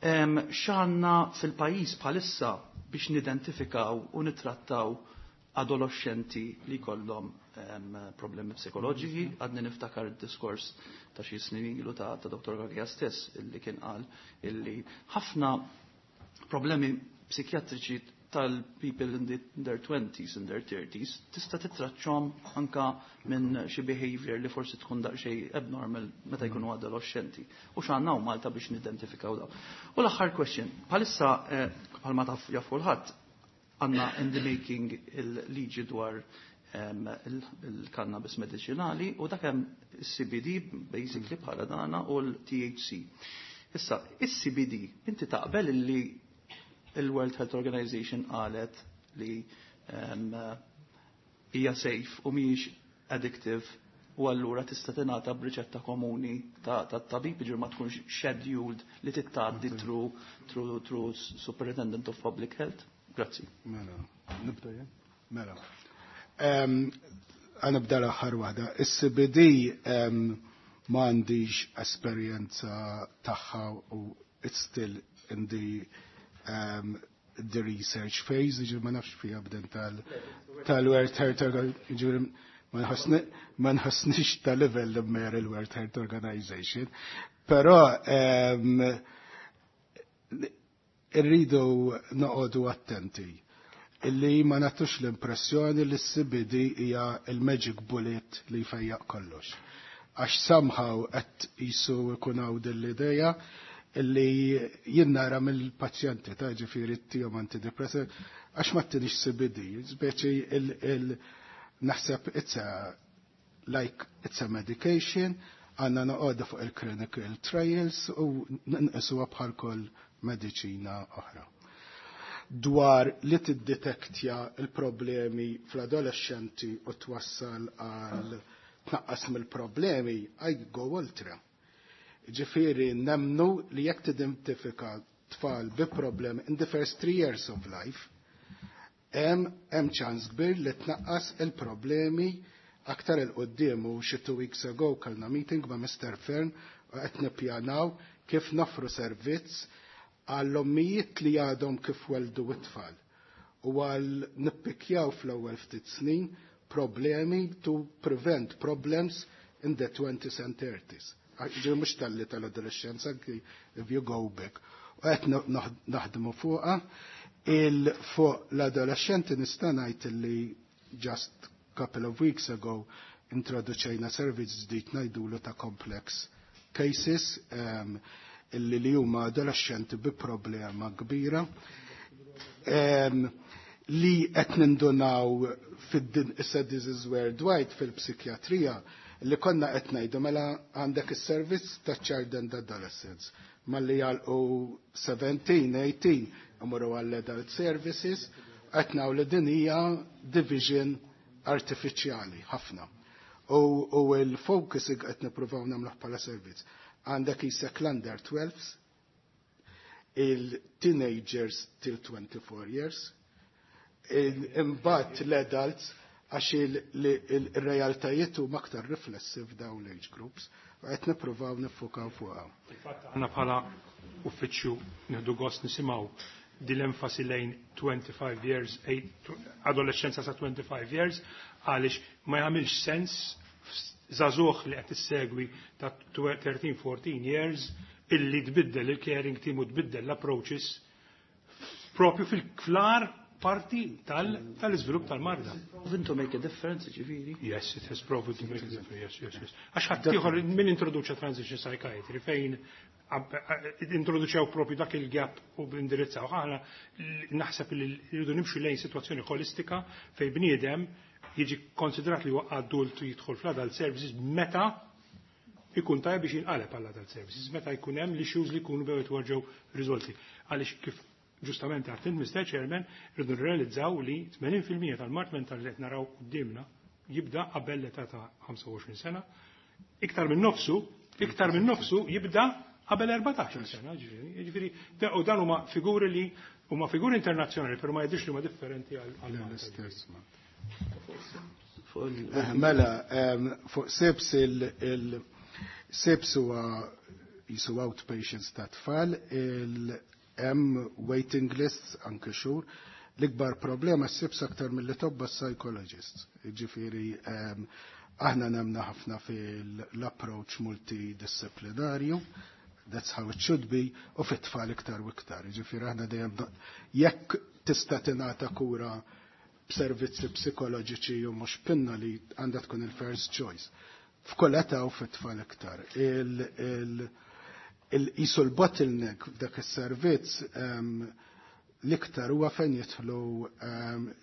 [SPEAKER 1] Um, X'għandna fil-pajjiż bħalissa biex nidentifikaw u nitrattaw adolescenti li kollhom um, problemi psikoloġiċi? Għadni niftakar id-diskors ta' xi snin ilu ta', ta Doctor Cachia stess illi kien qal illi ħafna problemi psikjatriċi tal-people in their twenties in their thirties tista' titraċċhom anka minn xi behavior li forsi tkun daqsxejn abnormal meta jkunu adolescenti. U x'għandna Malta biex nidentifikaw daw. U l-aħħar question, bħalissa eh, bħalma taf jaf kulħadd għandna in the making il-liġi dwar il-cannabis medicinali u dak hemm il-C B D basically bħala dana u l-T H C. Issa, il-C B D, inti taqbel li il-World Health Organization qalet li hija safe u mhijiex addictive u allura tista' tingħata b'riċetta komuni ta' tabib, ġifieri ma tkunx scheduled li tgħaddi through through through Superintendent of Public Health? Grazzi.
[SPEAKER 4] Mela, nibda jien? Mela. Ħa nibda l-aħħar waħda. Is-C B D ma għandix esperjenza tagħha u it's still in the um, the research phase, ġifieri ma nafx fija bden tal-World Health Organization, ma nħossnix tal-level li mer il-World Health Organization, però um, irridu noqogħdu attenti illi ma nagħtux l-impressjoni li s-C B D hija il-magic bullet li jfejjaq kollox. Għax somehow qed jisu ikun hawn din l-idea illi jien nara mill-pazjenti ta' ġifieri tihom antidepressant għax ma ttinix C B D, speċi il naħseb it's a like it's a medication, għandna noqogħdu fuq il-clinical trials u nqisuha bħal kull mediċina oħra. Dwar li tiddetektja il-problemi fl-adolescenti u twassal għal tnaqqas mill-problemi, I go ultra. Ġifieri nemnu li jekk tidentifika tfal bi problemi in the first three years of life, hemm hemm ċans kbir li tnaqqas il-problemi aktar 'il quddiem. U xi two weeks ago kellna meeting ma' Mister Fern u qed nippjanaw kif nofru servizz għall-ommijiet li għadhom kif weldu it-tfal u għal nippikjaw fl-ewwel ftit snin problemi to prevent problems in the twenties and thirties. Ġi mhux talli tal-adolescenza, if you go back. U qed naħdmu fuqha il fuq l-adolescenti nista' ngħid li just couple of weeks ago introduċejna servizz ġdid ngħidulu ta' complex cases um, illi li huma adolescenti bi problema kbira um, li qed nindunaw fid-din issa this is worldwide fil-psikjatrija li konna qed ngħidu mela għandek is-servizz ta' child and adolescents malli jagħlqu seventeen, eighteen imorru għall-adult services, qed naraw li din hija division artifiċjali ħafna. U, u il-focus qed nippruvaw nagħmluh bħala servizz. Għandek jisek l-under twelves, il-teenagers till twenty-four years, imbagħad l-adults, għax il-realtajiet huma aktar riflessi f'dawn l-age groups u qed nippruvaw niffukaw fuqha.
[SPEAKER 2] Fil-fatt aħna bħala uffiċċju nieħdu gost nisimgħu din l-enfasi lejn twenty-five years, adolescenza sa twenty-five years, għaliex ma jagħmilx sens żagħżugħ li qed issegwi ta' thirteen fourteen years illi tbiddel il-caring team u tbiddel l-approaches propju fil-klar parti tal-iżvilupp tal-marda.
[SPEAKER 1] Proven to make a difference, ġifieri?
[SPEAKER 2] Yes, it has proven to make a difference, yes, yes, yes. Għax ħaddieħor min introduċa transition psychiatry fejn introduċew propju dak il-gap u indirizzaw. Aħna naħseb li rridu nimxu lejn situazzjoni holistika fejn bniedem jiġi konsidrat li huwa adult u jidħol fl-adult services meta ikun tajb biex jinqaleb għall adult services, meta jkun hemm l-issues li jkunu bew jitwarġew riżolti. Għaliex kif ġustament għedt, Mister Chairman, rridu nrealizzaw li tmenin fil-mija tal-mard mentali li qed naraw qudiemna jibda qabel l-età ta' ħamsa u għoxrin sena, iktar minn nofsu, iktar minn nofsu jibda qabel erbatax-il sena, ġifieri, u dan huma figuri li huma figuri internazzjonali, però ma jidhirx li huma differenti għal
[SPEAKER 4] l-istess. Mela, fuq SIBS, il-SIBS huwa jisu outpatients ta' tfal, hemm waiting lists anke xhur. L-ikbar problema s-SIBS aktar mill tobba psychologists. Ġifieri, aħna nemna ħafna fil-approach multidisciplinarju, That's how it should be, u fit-tfal iktar u iktar. Ġifieri aħna dejjem jekk tista' tingħata kura b'servizzi psikoloġiċi u mhux pinna li għandha tkun il-first choice. F'kull età u fit-tfal iktar. Il-qisu l-bottleneck f'dak is-servizz l-iktar huwa fejn jidħlu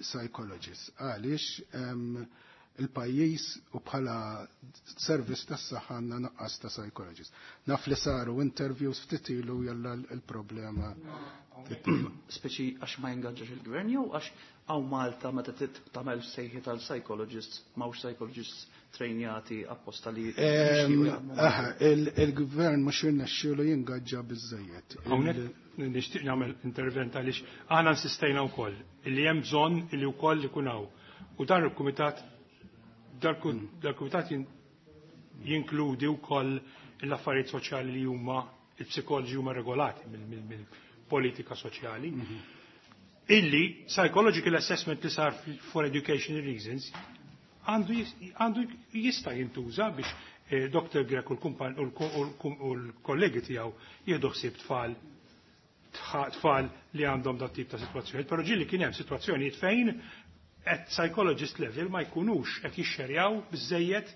[SPEAKER 4] psychologists. Għaliex il-pajjiż u bħala servizz tas-saħħa għandna nuqqas ta' psychologists. Naf li saru interviews ftit ilu jalla l-problema.
[SPEAKER 1] Speċi għax ma jingaġġax il-gvern jew għax hawn Malta meta tagħmel sejħi tal-psychologists m'hawnx psychologists trejnjati apposta li
[SPEAKER 4] Aha, il-gvern mhux jirnexxielu jingaġġa biżżejjed.
[SPEAKER 2] Hawnhekk nixtieq nagħmel intervent għaliex aħna insistejna wkoll illi hemm bżonn illi wkoll ikun hawn. U dan il-kumitat dal-kumitat jinkludi wkoll l-affarijiet soċjali li huma il-psikoloġi huma regolati mill-politika soċjali. Illi psychological assessment li sar for educational reasons għandu jista' jintuża biex Doktor Grech u l-kollegi tiegħu jieħdu ħsieb tfal tfal li għandhom dat tip ta' sitwazzjonijiet, però ġieli kien hemm sitwazzjonijiet fejn at psychologist level ma jkunux qed jixxerjaw biżejjed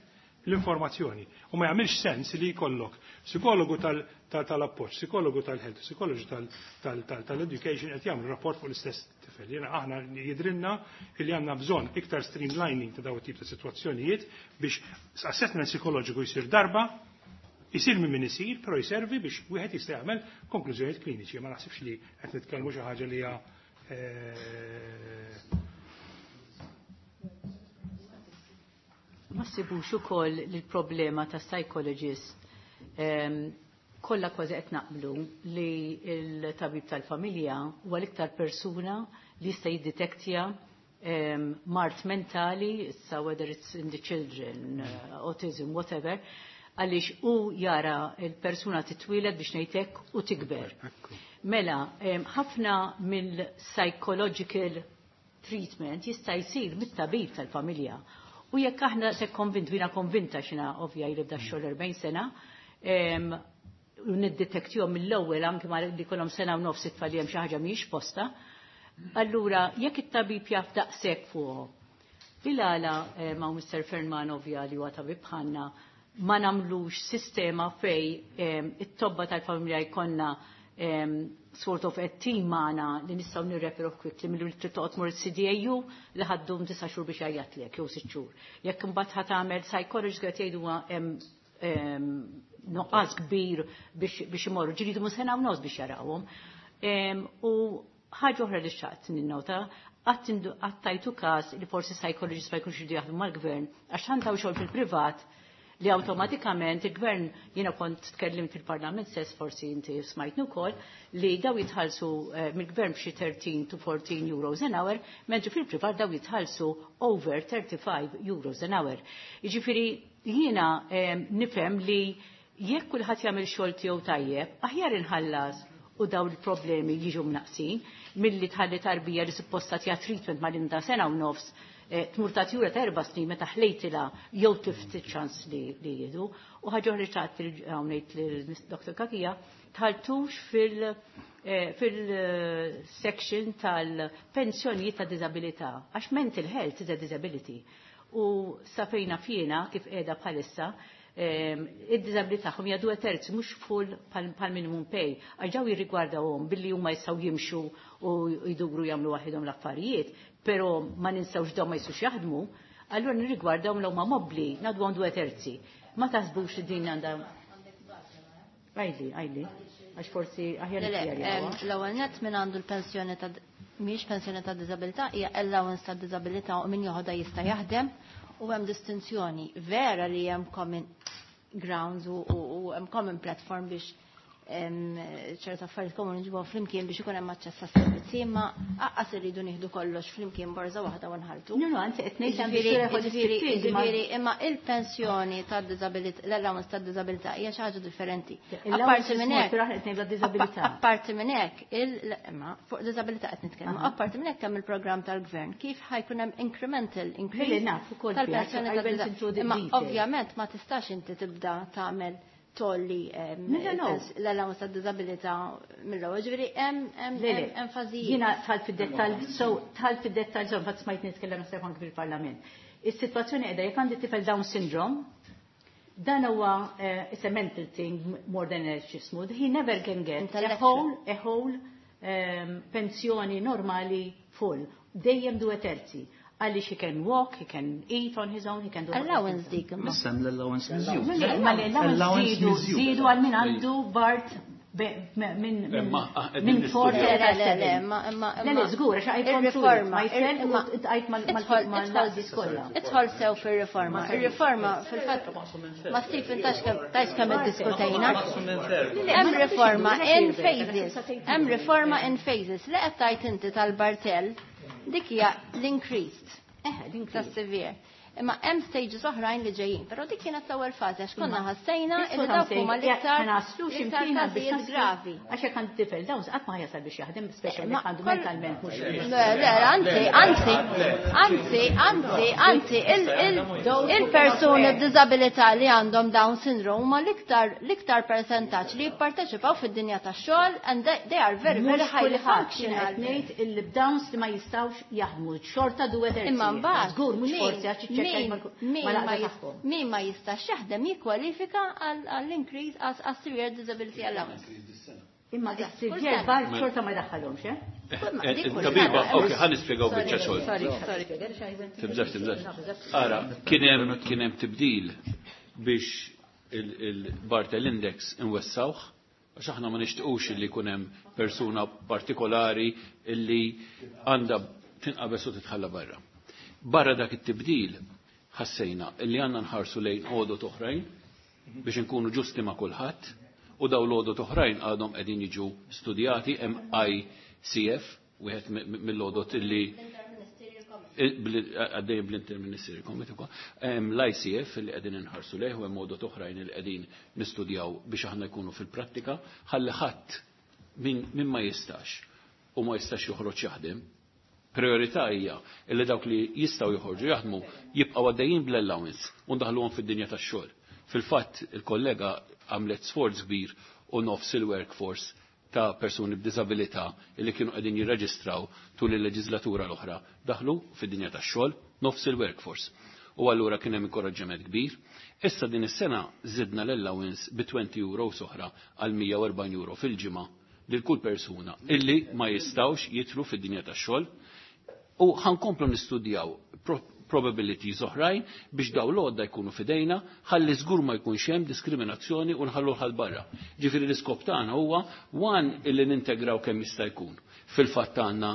[SPEAKER 2] l-informazzjoni. U ma jagħmilx sens li jkollok psikologu tal-appoġġ, psikologu tal-health, psikologu tal-education qed jagħmlu rapport fuq l-istess tifel. Jiena aħna jidrinna li għandna bżonn iktar streamlining ta' dawn it-tip ta' sitwazzjonijiet biex assessment psikoloġiku jsir darba, isir minn min isir, però jservi biex wieħed jista' jagħmel konklużjonijiet kliniċi. Ma naħsibx li qed nitkellmu xi ħaġa li hija
[SPEAKER 3] Ma ssibux ukoll li l-problema ta' psychologist kollha kważi qed naqblu li l-tabib tal-familja huwa l-iktar persuna li jista' jiddetektja mard mentali, issa whether it's in the children, autism, whatever, għaliex hu jara l-persuna titwieled biex ngħidlek u tikber. Mela, ħafna mill-psychological treatment jista' jsir mit-tabib tal-familja. U jekk aħna se konvint, jiena konvinta xina ovvja jibda x-xogħol erbgħin sena, u niddetektihom mill-ewwel anke ma li kollhom sena u nofs it-tfal li hemm xi ħaġa mhijiex posta, allura jekk it-tabib jaf daqshekk fuqhom. Bil-għala ma' Mister Ferman ovvja li huwa tabib bħalna ma nagħmlux sistema fej it-tobba tal-familja jkollna sort of a team magħna li nistgħu nirreferu quickly milli trid toqgħod tmur il-C D A U li ħaddum disa' xhur biex jgħajjatlek jew sitt xhur. Jekk imbagħad ħa tagħmel psychologist qed jgħidu hemm nuqqas kbir biex imorru, ġiridu mu sena u nofs biex jarawhom. U ħaġa oħra li xtaqt ninnota, għattajtu każ li forsi psychologist ma jkunx jridu jaħdmu mal-gvern għax ħantaw xogħol fil-privat li awtomatikament il-gvern, jiena kont tkellimt fil-parlament stess, forsi inti smajtni wkoll, li daw jitħallsu mill-gvern b'xi thirteen to fourteen euros an hour, mentri fil-privat daw jitħallsu over thirty-five euros an hour. Jiġifieri jiena nifhem li jekk kulħadd jagħmel xogħol tiegħu tajjeb, aħjar inħallas u daw il-problemi jiġu mnaqsin milli tħalli tarbija li supposta tija treatment mal-inda sena u nofs tmur ta' tjura ta' erba' snin meta ħlejtilha jew tift ċans li jieħdu. U ħaġa oħra xtaqt ngħid lil Doktor Cachia, tħaltux fil-section tal-pensjonijiet ta' disabilità, għax mental health is a disability. U safejna fjena kif qiegħda bħalissa, id-disabilità tagħhom hija due terzi mhux full pal minimum pay, għax daw jirrigwardawhom billi huma jistgħu jimxu u jduru jagħmlu waħedhom l-affarijiet, però ma ninsewx dawn ma jistgħux jaħdmu, allura nirrigwardawhom l huma mobbli, ngħadduhom due terzi. Ma taħsbux li din għandha. Għajli, għajli, għax forsi aħjar.
[SPEAKER 6] L-ewwel nett min għandu l-pensjoni ta' mhijiex pensjoni ta' diżabilità, hija allowance ta' diżabilità u min joħodha jista' jaħdem u hemm distinzjoni vera li hemm common grounds u hemm common platform biex ċerta affarijiet komuni ġibuhom flimkien biex ikun hemm aċċess għas-servizzi, imma aqqas irridu nieħdu kollox flimkien borża waħda u nħaltu.
[SPEAKER 3] No, no, anzi qed ngħid.
[SPEAKER 6] Ġifieri, imma il-pensjoni tad-diżabilità, l-allowance tad-diżabilità hija xi ħaġa differenti. Apparti minn hekk, apparti minn hekk, imma fuq diżabilità qed nitkellmu, apparti minn hekk hemm il-programm tal-gvern kif ħa jkun hemm incremental increase tal-pensjoni tad-diżabilità. Imma ovvjament ma tistax inti tibda tagħmel tolli l-allowance ta' disabilità mill-ewwel. Ġifieri hemm hemm fażijiet.
[SPEAKER 3] Jiena tħall fid-dettall, so tħall fid-dettall so fatt smajt nitkellem naħseb anke fil-Parlament. Is-sitwazzjoni qiegħda jekk għandi tifel Down syndrome, dan huwa it's a mental thing more than a x'ismu. He never can get a whole a whole pensjoni normali full. Dejjem due terzi. Għaliex he can walk, he can eat on his own, he can do
[SPEAKER 6] Allowance dik.
[SPEAKER 1] Missem l-allowance miżjud.
[SPEAKER 3] Ma l-allowance zidu, zidu għal min għandu Bart minn minn four
[SPEAKER 6] Le, le, le, ma ma
[SPEAKER 3] Le, le, żgur, għax għajt
[SPEAKER 6] Ir-riforma,
[SPEAKER 3] għajt mal-naqdis kollha.
[SPEAKER 6] Idħol sew fir-riforma. Ir-riforma fil-fatt ma Stephen tax kemm iddiskutejna. Hemm riforma in phases. Hemm riforma in phases. Li qed tgħid inti tal-Bartell dik hija l-increased. Tas-severe. Imma hemm stages oħrajn li ġejjin, però dik kienet l-ewwel fażi għax konna ħassejna li dawk huma l-iktar l-iktar każijiet gravi.
[SPEAKER 3] Għax jekk għandu tifel dawn qatt ma jasal biex jaħdem, speċjalment għandu mentalment mhux.
[SPEAKER 6] Le, le, anzi, anzi, anzi, anzi, anzi, il-persuni b'diżabilità li għandhom Down syndrome huma l-iktar l-iktar percentaġġ li jipparteċipaw fid-dinja tax-xogħol and they are very very highly functional.
[SPEAKER 3] Ngħid il-Downs li ma jistgħux jaħdmu xorta due terzi.
[SPEAKER 6] Imma mbagħad
[SPEAKER 3] żgur mhux forsi għax
[SPEAKER 6] Min ma jistax jaħdem jikkwalifika għall-increase għas severe disability allowance.
[SPEAKER 3] Imma severe bar xorta ma jdaħħalhomx, eh?
[SPEAKER 8] Tabiba, ok, ħa nispjegaw biċċa xogħol. Tibżax, tibżax. Ara, kien hemm kien hemm tibdil biex il-Bartel Index inwessawh, għax aħna ma nixtiequx li jkun hemm persuna partikolari illi għandha tinqabeż u titħalla barra. Barra dak it-tibdil ħassejna illi għandna nħarsu lejn għodot oħrajn biex inkunu ġusti ma' kulħadd u daw l-għodot oħrajn għadhom qegħdin jiġu studjati hemm I C F wieħed mill-għodot illi għaddej bl-Interministerial Committee ukoll. Hemm l-I C F li qegħdin inħarsu lejh u hemm għodot oħrajn li qegħdin nistudjaw biex aħna jkunu fil-prattika ħalli ħadd min ma jistax u ma jistax joħroġ jaħdem. Priorità hija illi dawk li jistgħu joħorġu jaħdmu jibqgħu għaddejjin bl-allowance u ndaħluhom fid-dinja tax-xogħol. Fil-fatt il-kollega għamlet sforz kbir u nofs il-workforce ta' persuni b'diżabilità illi kienu qegħdin jirreġistraw tul il-leġislatura l-oħra daħlu fid-dinja tax-xogħol nofs il-workforce. U allura kien hemm inkoraġġiment kbir. Issa din is-sena żidna l-allowance bi twenty euro oħra għal mija u erbgħin euro fil-ġimgħa lil kull persuna illi ma jistgħux jidħlu fid-dinja tax-xogħol. U ħankomplu nistudjaw probabilities oħrajn biex daw l-għodda jkunu fidejna, ħalli żgur ma jkunx hemm diskriminazzjoni u nħallu ħal barra. Ġifieri l-iskop tagħna huwa one illi nintegraw kemm jista' jkun. Fil-fatt għandna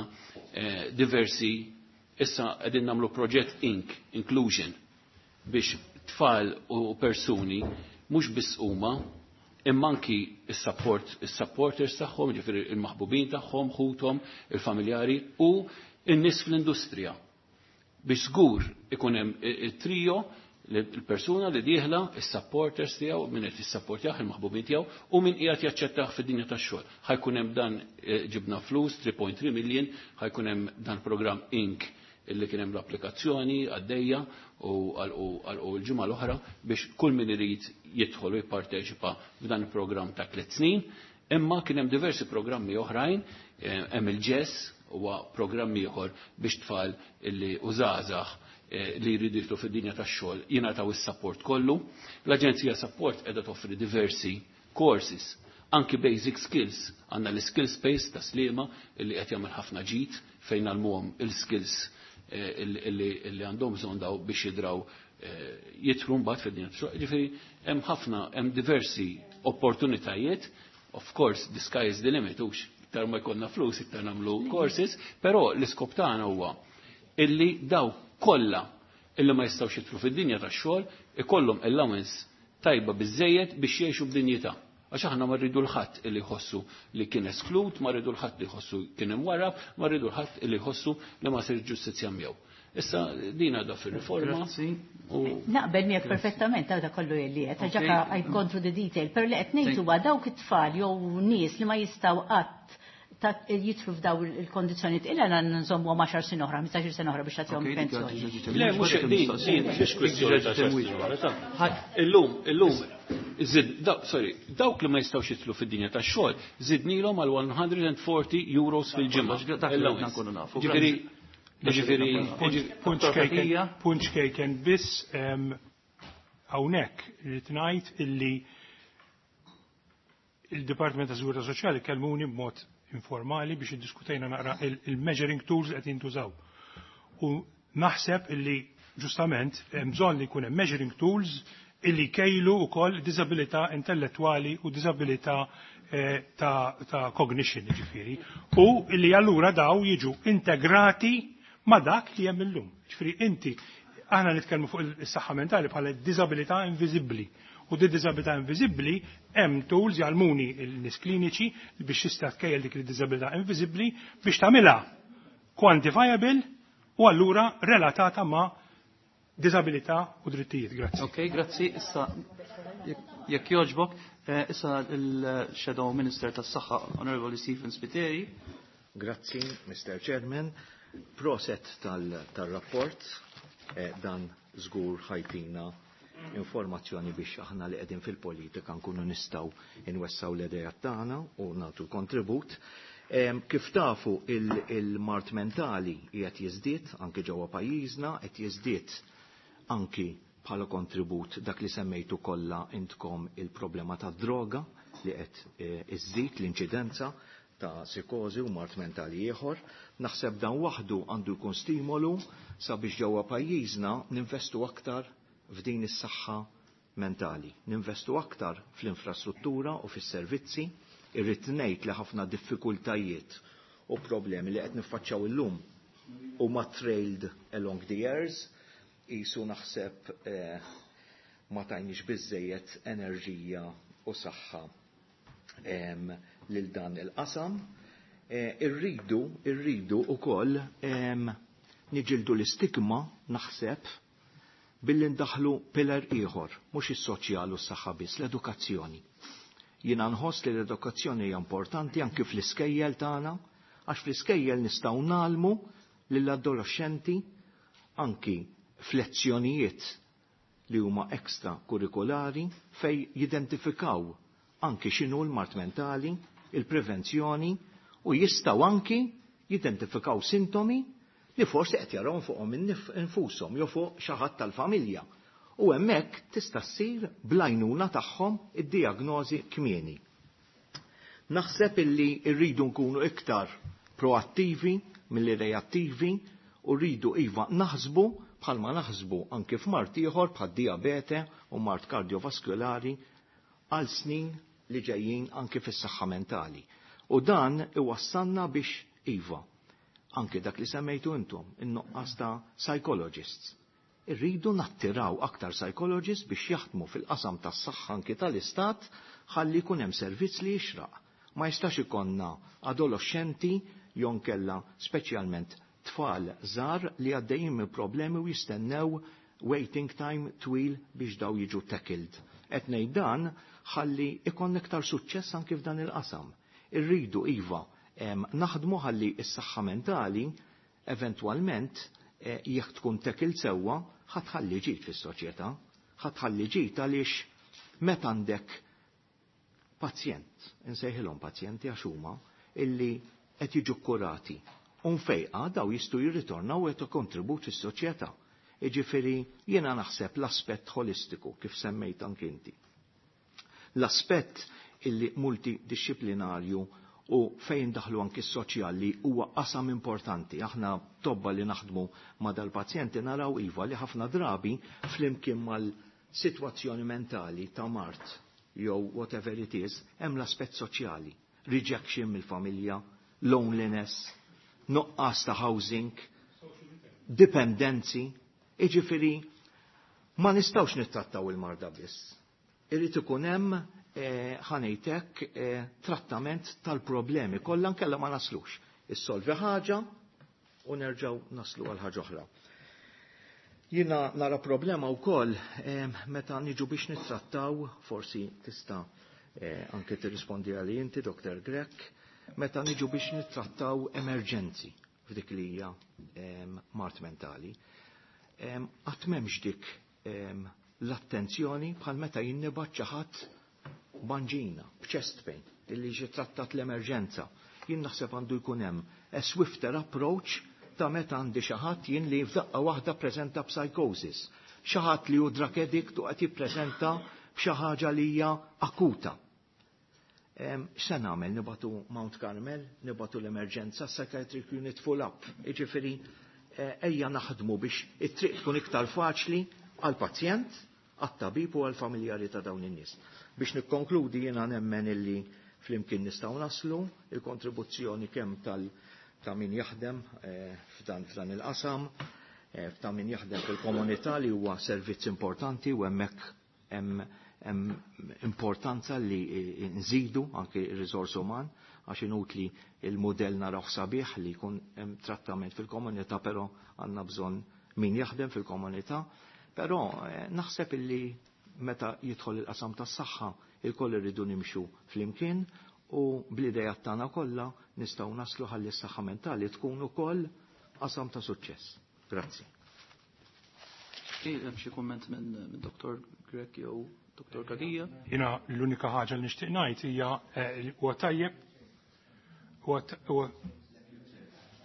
[SPEAKER 8] diversi, issa qegħdin nagħmlu proġett Inc, Inclusion, biex tfal u persuni mhux biss huma imma anki is-support, is-supporters tagħhom, ġifieri il-maħbubin tagħhom, ħuthom, il-familjari u in-nies fl-industrija. Biex żgur ikun hemm it-trio, il-persuna li dieħla, is-supporters tiegħu, min qed jissapportjah, il-maħbubin tiegħu, u min qiegħed jaċċettah fid-dinja tax-xogħol. Ħajkun hemm dan ġibna flus, three point three million, ħajkun hemm dan programm Inc illi kien hemm l-applikazzjoni għaddejja u għalqu l-ġimgħa l-oħra biex kull min irid jidħol u jipparteċipa f'dan il-programm ta' tliet snin. Imma kien hemm diversi programmi oħrajn, hemm il-ġess, huwa programm ieħor biex tfal illi u żgħażagħ li jridu jidħlu fid-dinja tax-xogħol jingħataw is-support kollu. L-Aġenzija Support qiegħda toffri diversi courses, anki basic skills. Għandna l-skill space ta' Sliema illi qed jagħmel ħafna ġid fejn għalmuhom il-skills illi għandhom bżonn daw biex jidraw jidħlu mbagħad fid-dinja tax-xogħol. Ġifieri hemm ħafna, hemm diversi opportunitajiet. Of course, the sky is the limit, hux iktar ma jkollna flus, iktar nagħmlu courses, però l-iskop tagħna huwa illi daw kollha illi ma jistgħux jidħlu fid-dinja tax-xogħol ikollhom allowance tajba biżejjed biex jgħixu b'dinjità. Għax aħna ma rridu l-ħadd illi jħossu li kien esklut, ma rridu l-ħadd li jħossu kien imwarrab, ma rridu l-ħadd illi jħossu li ma sirx ġustizzja miegħu. Issa din għadha fir-riforma.
[SPEAKER 3] Naqbel miegħek perfettament għadha kollu li qed, ġaka I go through the detail, però li qed ngħid huwa dawk it-tfal jew nies li ma jistgħu qatt jitru f'daw il-kondizzjonijiet illa għandna nżommu għaxar snin oħra, ħmistax-il sena oħra biex tagħtihom pensjoni.
[SPEAKER 8] Le, mhux din, din mhix kwistjoni ta' xar snin oħra. Illum, illum Zid, daw, sorry, dawk li ma jistgħux jidħlu fid-dinja tax-xogħol, żidnilhom għal mija u erbgħin euros fil-ġimgħa.
[SPEAKER 1] Dak li ridna nkunu nafu.
[SPEAKER 8] Ġifieri, ġifieri,
[SPEAKER 2] Punt ċkejken, punt ċkejken biss, em, hawnhekk irrid ngħid illi il-Dipartiment ta' Sigurtà Soċjali kellmuni b'mod informali biex iddiskutejna naqra il-measuring tools li qed jintużaw. U naħseb illi ġustament hemm bżonn li jkun hemm measuring tools illi kejlu wkoll disabilità intellettwali u disabilità eh, ta', ta cognition, ġifieri. U illi allura daw jiġu integrati ma' dak li hemm illum. Ġifieri inti, aħna nitkellmu fuq is-saħħa mentali bħala disabilità inviżibbli. U di disabilità inviżibbli hemm tools jgħallmuni l-nies kliniċi biex tista' tkejjel dik il-disabilità inviżibbli biex tagħmilha quantifiable u allura relatata ma' disabilità u drittijiet. Grazzi.
[SPEAKER 1] Ok, grazzi. Issa, jekk jogħġbok, eh, issa il-Shadow Minister tas-Saħħa, Honorable Stephen Spiteri.
[SPEAKER 9] Grazzi, Mister Chairman. Proset tal-rapport, eh, dan żgur ħa jtina informazzjoni biex aħna li qegħdin fil-politika nkunu nistgħu inwessaw l-idejat tagħna u nagħtu kontribut. Kif tafu, il-mard mentali qiegħed jiżdied anki ġewwa pajjiżna, qed jiżdied anki bħala kontribut dak li semmejtu kollha intkom, il-problema ta' droga li qed eh, iżżid l-inċidenza ta' psikożi u mard mentali ieħor. Naħseb dan waħdu għandu jkun stimolu sabiex ġewwa pajjiżna ninvestu aktar f'din is-saħħa mentali, ninvestu aktar fl-infrastruttura u fis-servizzi. Irrid ngħid li ħafna diffikultajiet u problemi li qed niffaċċjaw illum huma trailed along the years, jisu naħseb eh, ma tajniex biżejjed enerġija u saħħa lil dan il-qasam. Eh, irridu, irridu ukoll niġildu l-istigma, naħseb, billi ndaħlu pillar ieħor, mhux is-soċjal u s-saħħa biss, l-edukazzjoni. Jiena nħoss li l-edukazzjoni hija importanti anki fl-iskejjel tagħna, għax fl-iskejjel nistgħu ngħallmu lill-adolescenti anki f'lezzjonijiet li huma ekstra kurrikulari fej jidentifikaw anki x'inhu l-mard mentali, il-prevenzjoni, u jistgħu anki jidentifikaw sintomi li forsi qed jarawhom fuqhom infushom jew fuq xi ħadd tal-familja. U hemmhekk tista' ssir bl-għajnuna tagħhom id-diagnożi kmieni. Naħseb illi rridu nkunu iktar proattivi milli reattivi u rridu iva naħsbu bħalma naħsbu anki f'mard ieħor bħal diabete u mard kardiovaskulari għal snin li ġejjin anki fis-saħħa mentali. U dan iwassalna biex iva anki dak li semmejtu intom, in-nuqqas ta' psychologists. Irridu nattiraw aktar psychologists biex jaħdmu fil-qasam tas-saħħa anki tal-istat ħalli jkun hemm servizz li jixraq. Ma jistax ikollna adolescenti jew inkella speċjalment tfal żgħar li għaddejjin minn problemi u jistennew waiting time twil biex daw jiġu tackled. Qed ngħid dan ħalli ikun iktar suċċess anki f'dan il-qasam. Irridu iva naħdmu ħalli s-saħħa mentali eventwalment, eh, jekk tkun tackled sewwa, ħa tħalli ġid fis-soċjetà, ħa tħalli ġid għaliex meta għandek pazjent, insejħilhom pazjenti għax huma, illi qed jiġu kurati u mfejqa, daw jistgħu jirritornaw u jagħtu kontribut fis-soċjetà. Jiġifieri jiena naħseb l-aspett holistiku kif semmejt anki inti. L-aspett illi multidisciplinarju u fejn daħlu anki s-soċjali huwa qasam importanti. Aħna tobba li naħdmu ma' dal-pazjenti naraw iva li ħafna drabi flimkien mal-sitwazzjoni mentali ta' mard jew whatever it is, hemm l-aspett soċjali. Rejection mill-familja, loneliness, nuqqas ta' housing, dipendenzi, iġifieri ma nistgħux nittrattaw il-marda biss. Irrid ikun hemm, eh, ħa ngħidlek, eh, trattament tal-problemi kollha, nkella ma naslux. Issolvi ħaġa u nerġgħu naslu għal ħaġa oħra. Jiena nara problema wkoll eh, meta niġu biex nittrattaw, forsi tista' eh, anke tirrispondi għali inti, Doktor Grech, meta niġu biex nittrattaw emerġenzi f'dik li hija eh, mard mentali. Qatt m'hemmx dik l-attenzjoni bħal meta jien nibgħat xi ħadd b'anġina, b'chest pain, illi ġi trattat l-emerġenza. Jien naħseb għandu jkun hemm a swifter approach ta' meta għandi xi ħadd jien li f'daqqa waħda preżenta psychosis. Xi ħadd li hu drug addict u qed jippreżenta b'xi ħaġa li hija akuta. X'se nagħmel? Nibagħtu Mount Carmel, nibagħtu l-emerġenza, psychiatric unit full up. Jiġifieri ejja naħdmu biex it-triq tkun iktar faċli għall-pazjent, għat-tabib u għall-familjari ta' dawn in-nies. Biex nikkonkludi, jiena nemmen illi flimkien nistgħu naslu il-kontribuzzjoni kemm tal ta' min jaħdem f'dan f'dan il-qasam, ta' min jaħdem fil-komunità li huwa servizz importanti u hemmhekk hemm hemm importanza li nżidu anke ir-riżors uman, għax inutli il-modell naraw sabiħ li jkun hemm trattament fil-komunità, però għandna bżonn min jaħdem fil-komunità. Però naħseb illi meta jidħol il-qasam tas-saħħa il-koll irridu nimxu flimkien u bl-idejat tagħna kollha nistgħu naslu ħalli s-saħħa mentali tkun ukoll qasam ta' suċċess. Grazzi.
[SPEAKER 1] Hemm xi kumment minn Doktor Grech jew Doktor Cachia?
[SPEAKER 2] Jiena l-unika ħaġa li nixtieq ngħid hija huwa tajjeb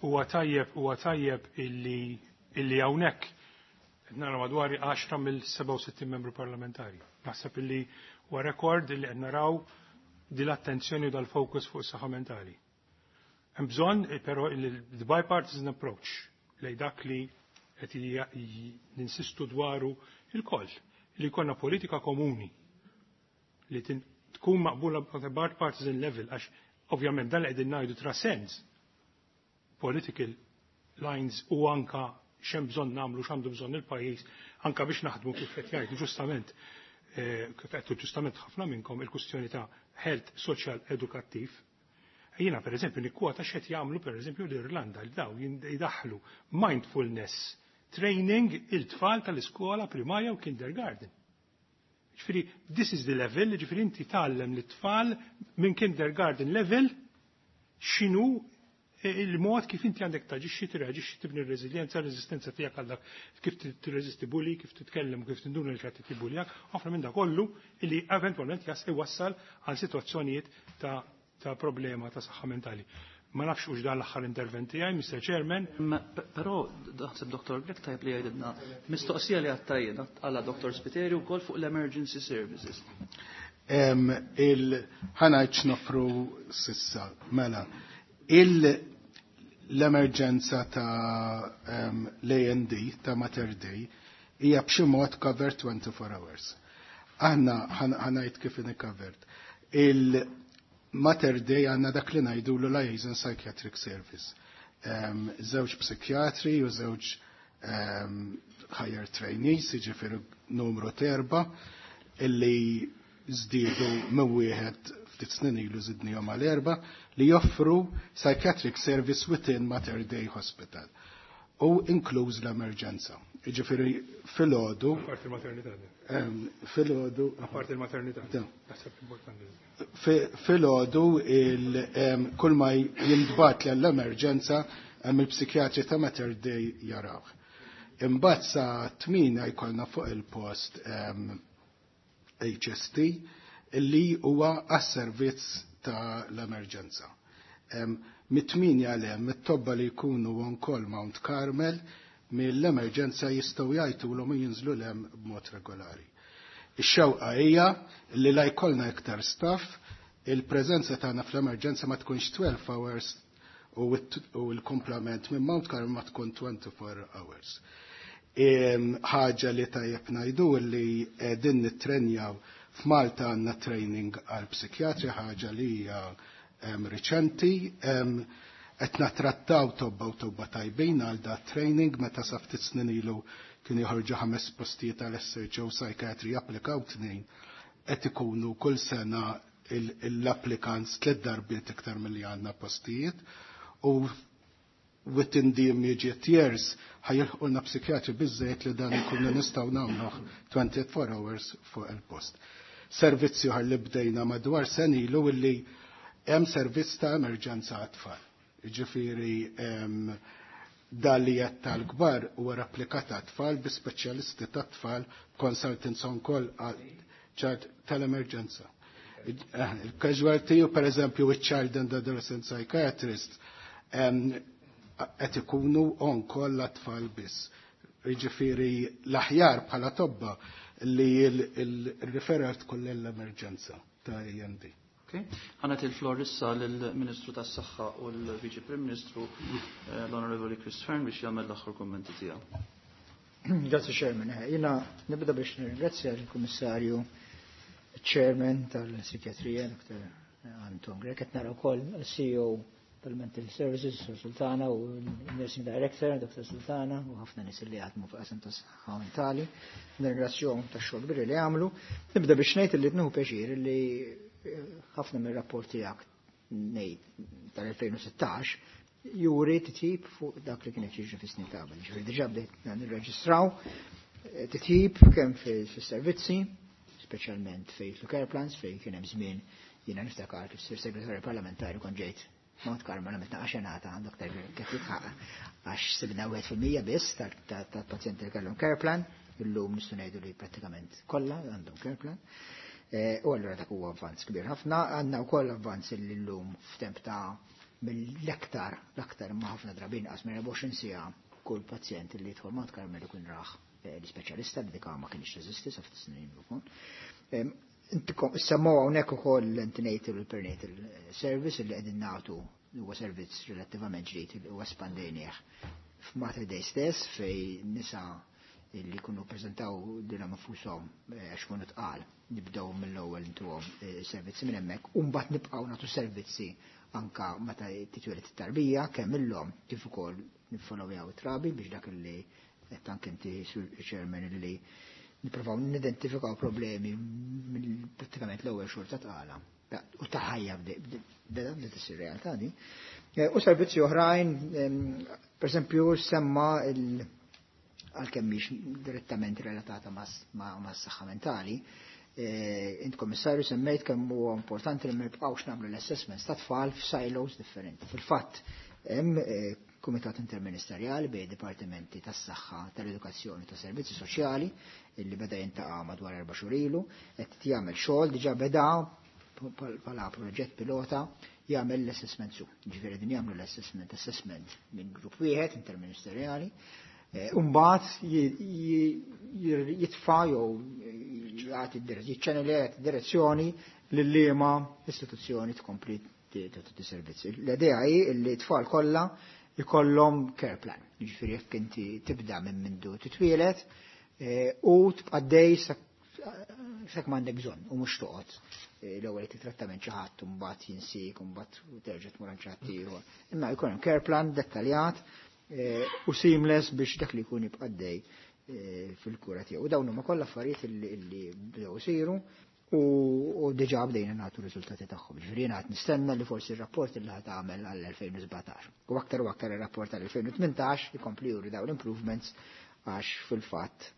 [SPEAKER 2] huwa tajjeb huwa tajjeb illi illi hawnhekk qed nara madwar għaxra mill-sebgħa u sittin membru parlamentari. Naħseb illi huwa rekord illi qed naraw din l-attenzjoni u dal-fokus fuq is-saħħa mentali. Hemm bżonn però il bipartisan approach lej dak li qed ninsistu dwaru il-koll, li jkollna politika komuni li tkun maqbula on a bipartisan level, għax ovvjament dan li qegħdin ngħidu transcends political lines u anka x'hemm bżonn nagħmlu, x'għandu bżonn il-pajjiż, anka biex naħdmu kif qed jgħidu ġustament, kif qed ġustament ħafna minnkom il-kwistjoni ta' health social edukattiv. Jiena per eżempju nikkwota x'qed jagħmlu per eżempju l-Irlanda, li daw jidaħlu mindfulness training il-tfal tal-iskola primarja u kindergarten. Ġifieri, this is the level, ġifieri inti tgħallem lit-tfal minn kindergarten level x'inhu il-mod kif inti għandek taġixxi, tirreaġixxi, tibni r-reżiljenza, r-reżistenza tiegħek għal dak kif tirreżisti bully, kif titkellem u kif tinduna li qed tibbuljak, ħafna minn dak kollu illi eventwalment jas iwassal għal sitwazzjonijiet ta' ta' problema ta' saħħa mentali. Ma nafx hux dan l-aħħar intervent tiegħi, Mister Chairman.
[SPEAKER 1] Però naħseb Doktor Grech tajjeb li jgħidilna mistoqsija li għattajjed għala Doktor Spiteri wkoll fuq l-emergency services.
[SPEAKER 4] Il-ħanajt nofru sissa, mela, l-emerġenza ta' l-A and D, ta' Mater Dei, hija b'xi mod covered twenty-four hours. Aħna ħanajt kif inhi covered. Il-Mater Dei għandna dak li ngħidu l liaison psychiatric service. Żewġ psikjatri u żewġ higher trainees, jiġifieri numru terba, illi żdiedu minn wieħed ftit snin ilu żidnihom għal erba, li joffru psychiatric service within Mater Dei Hospital u inkluż l-emerġenza. Jiġifieri filgħodu.
[SPEAKER 2] Apparti il-maternità.
[SPEAKER 4] Filgħodu.
[SPEAKER 2] Apparti il-maternità. Naħseb importanti.
[SPEAKER 4] Filgħodu kull ma jintbagħat l-emerġenza hemm il-psikjatri ta' Mater Dei jaraw. Imbagħad sa tmina jkollna fuq il-post H S T illi huwa għas-servizz ta' l-emerġenza. Mit-tminja l hemm it-tobba li jkunu on call Mount Carmel mill-emerġenza jistgħu jgħidulhom u jinżlu l hemm b'mod regolari. Ix-xewqa hija li la jkollna iktar staff, il-preżenza tagħna fl-emerġenza ma tkunx twelve hours u l-komplement minn Mount Carmel ma tkun twenty-four hours. Ħaġa li tajjeb ngħidu li din nittrenjaw f'Malta għandna training għal psikjatri, ħaġa li hija riċenti, qed nattrattaw tobba u tobba tajbin għal da training, meta sa ftit snin ilu kien joħorġu ħames postijiet għal S H O psychiatry japplikaw tnejn, qed ikunu kull sena l-applicants tliet darbiet iktar milli għandna postijiet, u within the immediate years ħajilħqulna psikjatri biżżejjed li dan ikunu nistgħu nagħmluh twenty-four hours fuq il-post. Servizzi oħra li bdejna madwar sen ilu illi hemm servizz ta' emerġenza għat-tfal. Jiġifieri, Dan li qed tal-kbar huwa replikat tfal bi speċjalisti tat-tfal, consultants on call tal-emerġenza. Il-casualty u per eżempju il-child and adolescent psychiatrist qed ikunu on call tfal biss. Jiġifieri l-aħjar bħala tobba li il-referral tkun l-emerġenza ta' A and D.
[SPEAKER 1] Ħa nagħti il-flor issa lill-Ministru tas-Saħħa u l-Viċi Prim Ministru, eh, l-Onorevoli Chris Fearne, biex jagħmel l-aħħar kummenti tiegħu.
[SPEAKER 10] Grazie, Chairman. Jiena nibda biex nirringrazzja l-Kummissarju, Chairman tal-Psikjatrija, Doctor Anton Grech, qed nara wkoll C E O tal-Mental Services, Sultana, u l-Nursing Director, Doctor Sultana, u ħafna nies li jaħdmu fuq qasam tas-saħħa mentali. Nirringrazzjahom tax-xogħol kbir li għamlu. Nibda biex ngħid li tnuħu pjaċir li ħafna mir-rapport tiegħek, ngħid tal-elfejn u sittax, juri titjib fuq dak li kienet jiġri fis-snin ta' qabel. Ġifieri diġà bdejt nirreġistraw titjib kemm fis-servizzi, speċjalment fejn care plans, fejn kien hemm żmien, jiena niftakar kif sir segretarju parlamentari kon ġejt Mount Carmel għamilt xenata għand kif jitħaq għax sibna wieħed fil-mija biss tal-pazjenti li kellhom care plan, illum nistgħu ngħidu li prattikament kollha għandhom care plan. Eh, u allura dak huwa avvanz kbir ħafna, għandna wkoll avvanz li llum f'temp ta' mill-aktar, l-aktar ma ħafna drabi inqas minn erbgħa u għoxrin siegħa kull pazjent li jidħol Mount Carmel ikun raħ eh, l-ispeċjalista li dik ma kienx teżisti sa ftit snin ukoll. Semmow hawnhekk ukoll l-antenatal u l-perinatal service li qegħdin nagħtu, huwa servizz relattivament ġdid li huwa espandejnieh f'Mater Dei stess, fej nisa li kunu prezentaw lilhom infushom eh, għax kunu tqal, nibdew mill-ewwel intuhom eh, servizzi minn hemmhekk u mbagħad nibqgħu nagħtu servizzi anka meta titwieled it-tarbija, kemm illhom kif ukoll niffollowjaw it-trabi, biex dak li qed anke inti, Chairman, li nippruvaw nidentifikaw problemi mill prattikament l-ewwel xhur ta' tqala u ta' ħajja beda bdiet issir realtà di. Eh, u servizzi oħrajn, per esempio, semma il- għalkemm mhix direttament relatata ma' s-saħħa mentali, eh, int, komissarju, semmejt kemm huwa importanti li ma nibqgħux nagħmlu l-assessments ta' tfal f'silos differenti. Fil-fatt hemm eh, kumitat interministerjali bejn dipartimenti tas-saħħa, tal-edukazzjoni, tas servizzi soċjali illi beda jintaqa' madwar erba' xhur ilu, qed jagħmel xogħol, diġà beda bħala proġett pilota jagħmel l-assessment su. Ġifieri din jagħmlu l-assessment assessment minn grupp wieħed interministerjali. Eh, Umbagħad jitfa' jew jagħti jiċċanelja direzzjoni lil liema istituzzjoni tkompli tagħti servizzi. L-idea hi li t-tfal kollha jkollhom care plan. Jiġifieri jekk inti tibda minn mindu titwielet eh, u tibqa' dej sak m'għandek bżonn u mhux toqgħod eh, l-ewwel trattament xi ħadd u mbagħad jinsik u mbagħad terġa' tmur għand xi ħadd ieħor. Imma jkun hemm care plan dettaljat eh, u seamless biex dak li jkun jibqa' dej eh, fil-kura tiegħu. U dawn huma kollha affarijiet illi bdew isiru u diġà bdejna nagħtu riżultati tagħhom. Ġifieri jiena qed nistenna li forsi r-rapport li ħa tagħmel għall-elfejn u sbatax. U aktar u aktar ir-rapport għall-elfejn u tmintax ikompli juri dawn l-improvements, għax fil-fatt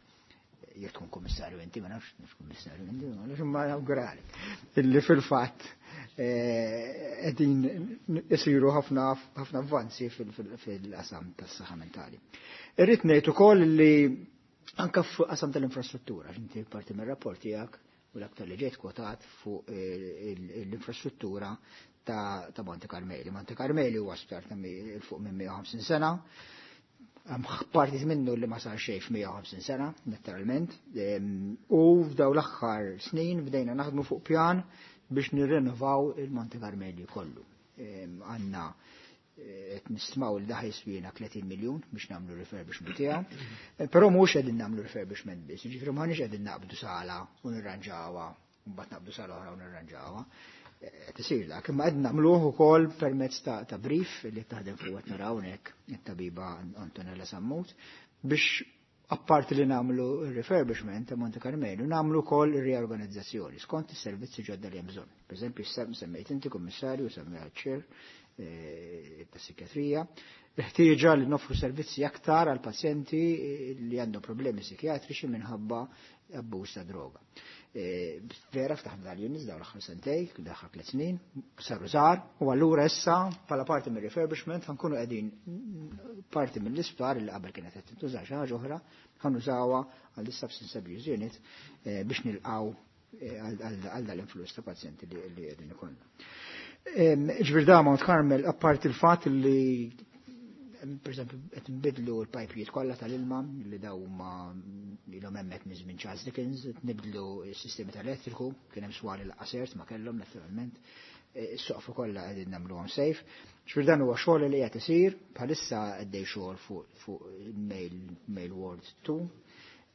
[SPEAKER 10] jekk tkun kummissarju inti, ma nafx nafx kummissarju inti, ma nafx, imma nawgurali. Illi fil-fatt eh, qegħdin isiru ħafna ħafna avvanzi fil-qasam tas-saħħa mentali. Irrid ngħid ukoll li anka f'qasam tal-infrastruttura, inti parti mir-rapport tiegħek u l-aktar li ġejt kwotat fuq eh, l-infrastruttura ta' Monte Carmeli. Monte Carmeli huwa sptar ta' fuq minn mija u ħamsin sena, partit minnu li ma sar xejn f'mija u ħamsin sena, naturalment, u f'daw l-aħħar snin bdejna naħdmu fuq pjan biex nirrenovaw il-Monte Carmeli kollu. Għandna eh, qed nistmaw li daħ jiswina tletin miljun biex nagħmlu refurbishment tiegħu. Eh, però mhux qegħdin nagħmlu refurbishment biss, jiġifieri m'aħniex qegħdin naqbdu sala u nirranġawha, u mbagħad naqbdu sala oħra u nirranġawha. Qed isir dak, imma qed nagħmluh ukoll permezz ta', ta brief li taħdem fuq qed naraw hawnhekk it-tabiba Antonella Sammut, biex apparti li nagħmlu refurbishment ta' Monte Carmelu, nagħmlu wkoll riorganizzazzjoni skont is-servizzi ġodda li hemm bżonn. Per eżempju, semmejt inti, kummissarju, semmejt chair eh, ta' psikjatrija, ħtieġa li noffru servizzi aktar għal pazjenti li għandhom problemi psikjatriċi minħabba abbuż ta' droga. Vera ftaħna dal-units dawn l-aħħar sentej, l-aħħar tliet snin, saru żgħar, u allura issa bħala parti mir-refurbishment ħankunu qegħdin parti mill-isptar li qabel kienet qed tintuża xi ħaġa oħra, ħanużawha għal substance abuse unit biex nilqgħu għal dal-influss ta' pazjenti li qegħdin ikollna. Ġifieri da Mount Carmel, apparti il-fatt li per esempio qed nbidlu l-pajpijiet kollha tal-ilma li daw huma ilhom hemmhekk minn żmien Charles Dickens, qed nibdlu s-sistemi tal-elettriku, kien hemm swali l-qasert ma kellhom naturalment, is-soqfu kollha qegħdin nagħmluhom safe. Ġifieri dan huwa xogħol li qed isir, bħalissa għaddej xogħol fuq male male ward two,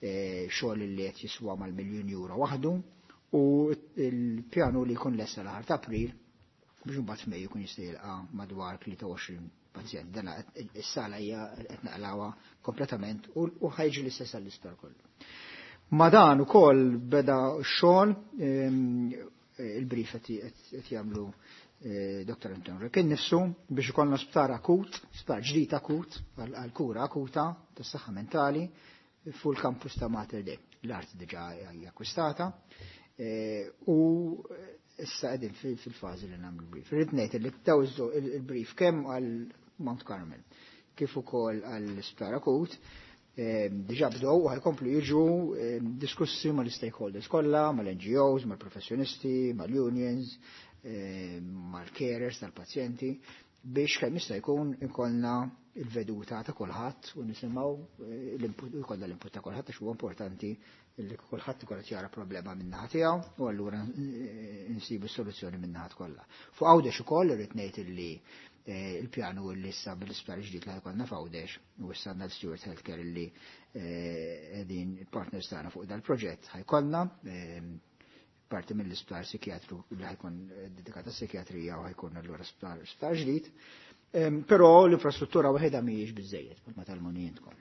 [SPEAKER 10] xogħol li qed jiswa mal-miljun euro waħdu, u l-pjanu li jkun lesta l-aħħar ta' April biex imbagħad f'Mejju jkun jista' jilqa' madwar tlieta u għoxrin pazjent. Dan is-sala hija qed naqlawha kompletament u ħajġi l-istess għall-isptar kollu. Ma dan ukoll beda x-xogħol, il-brief qed jagħmlu Doktor Anton Rekin nifsu biex ikollna sptar akut, sptar ġdid akut għal kura akuta tas-saħħa mentali fuq il-kampus ta' Mater Dei. L-art diġà hija akkwistata u issa qegħdin fil-fażi li nagħmlu brief. Irrid ngħid li daw il-brief kemm għal Mount Carmel kif ukoll għall isptar akut diġà bdew u ħajkomplu jiġu diskussi mal-stakeholders kollha, mal-N G Os, mal-professjonisti, mal-unions, mal-carers tal-pazjenti biex kemm jista' jkun ikollna il-veduta ta' kulħadd u nisimgħu l-input, ikollna l-input ta' kulħadd għax huwa importanti li kulħadd ikun qed jara problema min-naħa tiegħu u allura nsibu s-soluzzjoni min-naħa kollha. Fuq Għawdex ukoll irrid ngħid illi il-pjanu li issa bil-isptar ġdid li ħajkollna f'Għawdex u issa għandna l-Steward Healthcare illi qegħdin partners tagħna fuq dal-proġett ħajkollna parti mill-isptar psikjatru li ħajkun dedikata psikjatrija u ħajkun allura sptar sptar ġdid. Però l-infrastruttura waħedha mhijiex biżejjed bħalma tal-muni intkom.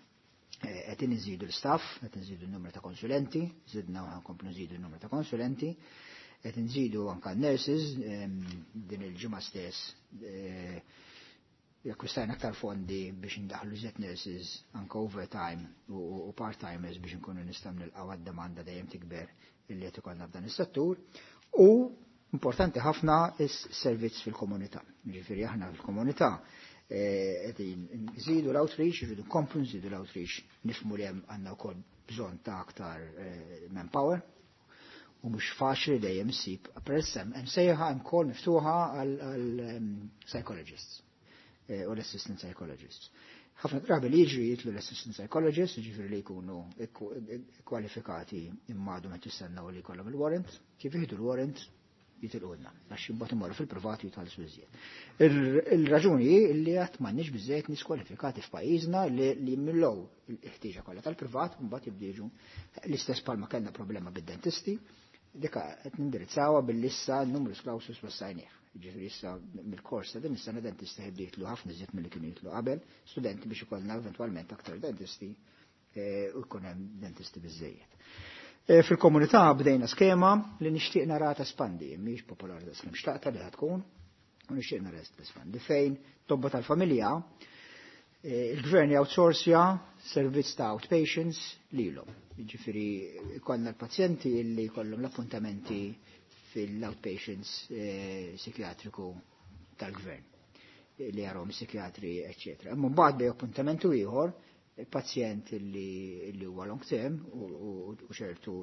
[SPEAKER 10] Qed inżidu l-staff, qed inżidu n-numru ta' konsulenti, żidna u ħankomplu nżidu n-numru ta' konsulenti, qed inżidu anke nurses din il-ġimgħa stess jakkwistajna aktar fondi biex indaħlu żied nurses anke overtime u part-timers biex inkunu nistgħu nilqgħu għad-domanda dejjem tikber illi qed ikollna f'dan is-settur. U importanti ħafna is-servizz fil-komunità. Jiġifieri aħna fil-komunità qed nżidu l-outreach, irridu nkomplu nżidu l-outreach, nifhmu li hemm għandna wkoll bżonn ta' aktar manpower u mhux faċli dejjem issib. Peress hemm hemm sejħa hemm kol miftuħa għal psychologists u l-assistant psychologists. Ħafna drabi li jiġri jitlu l-assistant psychologists, jiġifieri li jkunu kwalifikati imma għadhom qed jistennew li jkollhom il-warrant, kif jieħdu l-warrant jitilqulna, għax imbagħad imorru fil-privat jitħallsu iżjed. Il-raġuni hi li qatt m'għandniex biżejjed nies kwalifikati f'pajjiżna li jimmillaw il-ħtieġa kollha tal-privat u mbagħad jibdew jiġu l-istess bħalma kellna problema bid-dentisti, dika qed nindirizzawha billi issa n-numru clausus wassajnieh. Jiġifieri issa mill-kors ta' din is-sena dentista jibdew jitlu ħafna iżjed milli kienu jitlu qabel, studenti biex ikollna eventwalment aktar dentisti u jkun hemm dentisti biżejjed. Fil-komunità bdejna skema li nixtieq nara tespandi, mhix popolari da skemm xtaqta li tkun, u nixtieq nara tespandi fejn tobba tal-familja il-gvern jawtsorsja servizz ta' outpatients lilhom. Jiġifieri jkollna l-pazjenti li jkollhom l-appuntamenti fil-outpatients psikjatriku tal-gvern li jarhom psikjatri, eċċetera. Imma mbagħad bej appuntamentu ieħor il-pazjent li huwa long term u ċertu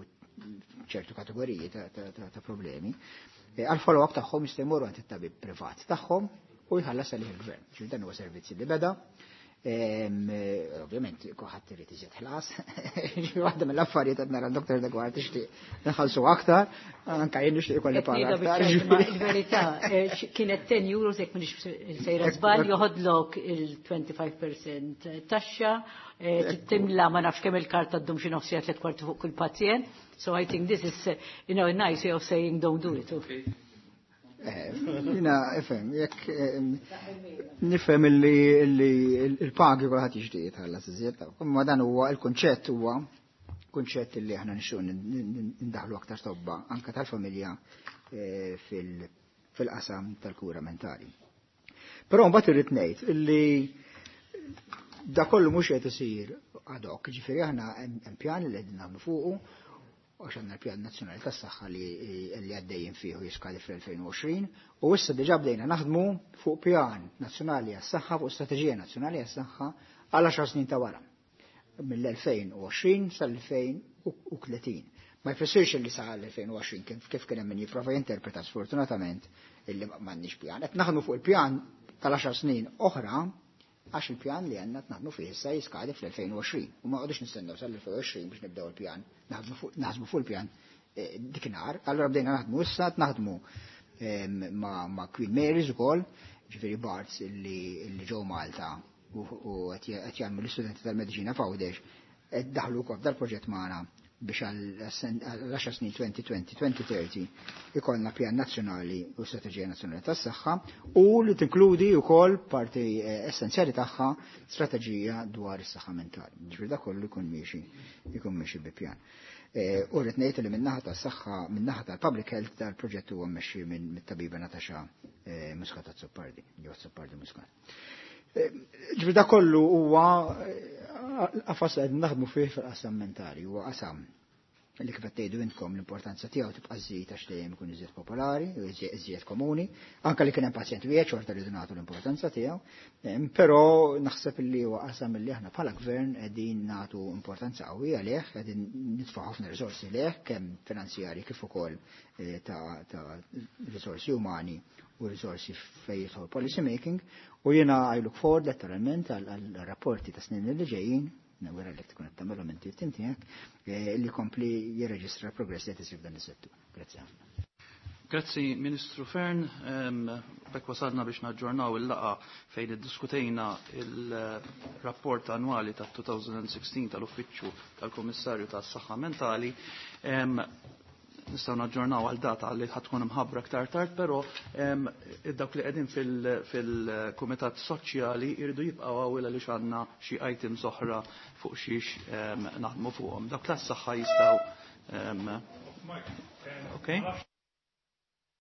[SPEAKER 10] ċertu kategoriji ta' problemi, għal follow-up tagħhom jistgħu jmorru għand it-tabib privat tagħhom u jħallas għalih il-gvern. Ġifieri dan huwa servizz li beda. Ovvjament, kulħadd irid iżjed ħlas. Waħda mill-affarijiet qed nara l-Doktor Deguard tixtieq nħallsu aktar, anke jien nixtieq ikolli paga aktar.
[SPEAKER 3] Il-verità, kienet ten euros jekk m'iniex sejra żball, joħodlok il-twenty-five percent taxxa, timla ma nafx kemm il-karta ddum xi nofs tliet kwarti fuq kull pazjent. So I think this is, you know, a nice way of saying don't do it. Okay.
[SPEAKER 10] Jina, ifhem, jekk nifhem illi il-pagi kulħadd jixtieq jitħallas iżjed, imma dan huwa il-kunċett huwa kunċett li aħna nixtiequ ndaħlu aktar tobba anke tal-familja fil-qasam tal-kura mentali. Però mbagħad irrid ngħid illi da kollu mhux qed isir ad hoc, ġifieri aħna hemm pjan li qegħdin nagħmlu fuqu Għax għandna l-Pjan Nazzjonali tas-Saħħa li li għaddejjin fih u jiskadi fl-elfejn u għoxrin, u issa diġà bdejna naħdmu fuq Pjan Nazzjonali għas-Saħħa, fuq Strateġija Nazzjonali għas-Saħħa għal għaxar snin ta' wara, mill-elfejn u għoxrin sal-elfejn u tletin. Ma jfissirx li sa l-elfejn u għoxrin kif, kif kien hemm min jipprova jinterpreta sfortunatament illi m'għandniex pjan. Qed naħdmu fuq il-pjan tal-għaxar snin oħra għax il-pjan li għandna naħdmu fih issa jiskadi fl-elfejn u għoxrin u ma qogħdux nistennew sal-elfejn u għoxrin biex nibdew il-pjan, naħdmu fuq, naħdmu fuq il-pjan, eh, dikinhar. Allura bdejna naħdmu issa, naħdmu, ehm, ma', ma' Queen Mary's ukoll, ġifieri Barts illi, illi ġew Malta u, u qed jagħmlu l-istudenti tal-mediċina f'Għawdex, qed daħlu wkoll dal-proġett magħna biex għal għaxar snin twenty twenty, twenty thirty ikollna pjan nazzjonali u strateġija nazzjonali tas-saħħa u li tinkludi wkoll parti, eh, essenzjali tagħha strateġija dwar is-saħħa mentali. Ġifieri dak kollu jkun miexi, jkun miexi bi pjan. Eh, u rrid ngħid li min-naħa tas-saħħa, min-naħa tal-public health dal-proġett huwa mmexxi minn mit-tabiba Natasha, eh, Muscat Azzopardi, jew Azzopardi Muscat. Eh, ġifieri dak kollu huwa, eh, qafas li qed naħdmu fih fil-qasam mentali, huwa qasam li kif qed tgħidu intkom l-importanza tiegħu tibqa' żżid għax dejjem ikun iżjed popolari u iżjed, iżjed komuni, anke li kien hemm pazjent wieħed xorta rridu nagħtu l-importanza tiegħu, em, però naħseb li huwa qasam li aħna bħala gvern qegħdin nagħtu importanza qawwija għalih, qegħdin nitfgħu ħafna riżorsi lih, kemm finanzjarji kif ukoll, eh, ta', ta' riżorsi umani u riżorsi fejn jidħol policy making, u jiena I look forward letteralment għal, għal rapporti ta' snin li ġejjin, nawgura li tkun qed tagħmelhom inti t-tim tiegħek, eh, li kompli jirreġistra progress li qed isir f'dan is-settur. Grazzi ħafna.
[SPEAKER 1] Grazzi Ministru Fearne, em, bekk wasalna biex naġġornaw il-laqa fejn iddiskutejna il-rapport annwali ta' twenty sixteen tal-Uffiċċju tal-Kummissarju tas-Saħħa Mentali. Em, nistgħu naġġornaw għal data li ħad tkun imħabbra aktar tard, però, em, dawk li qegħdin fil-, fil-Kumitat Soċjali jridu jibqgħu hawn għaliex għandna xi items oħra fuq xiex, em, naħdmu fuqhom. Dawk tas-saħħa jistgħu, em,
[SPEAKER 2] Mike,
[SPEAKER 1] Okay.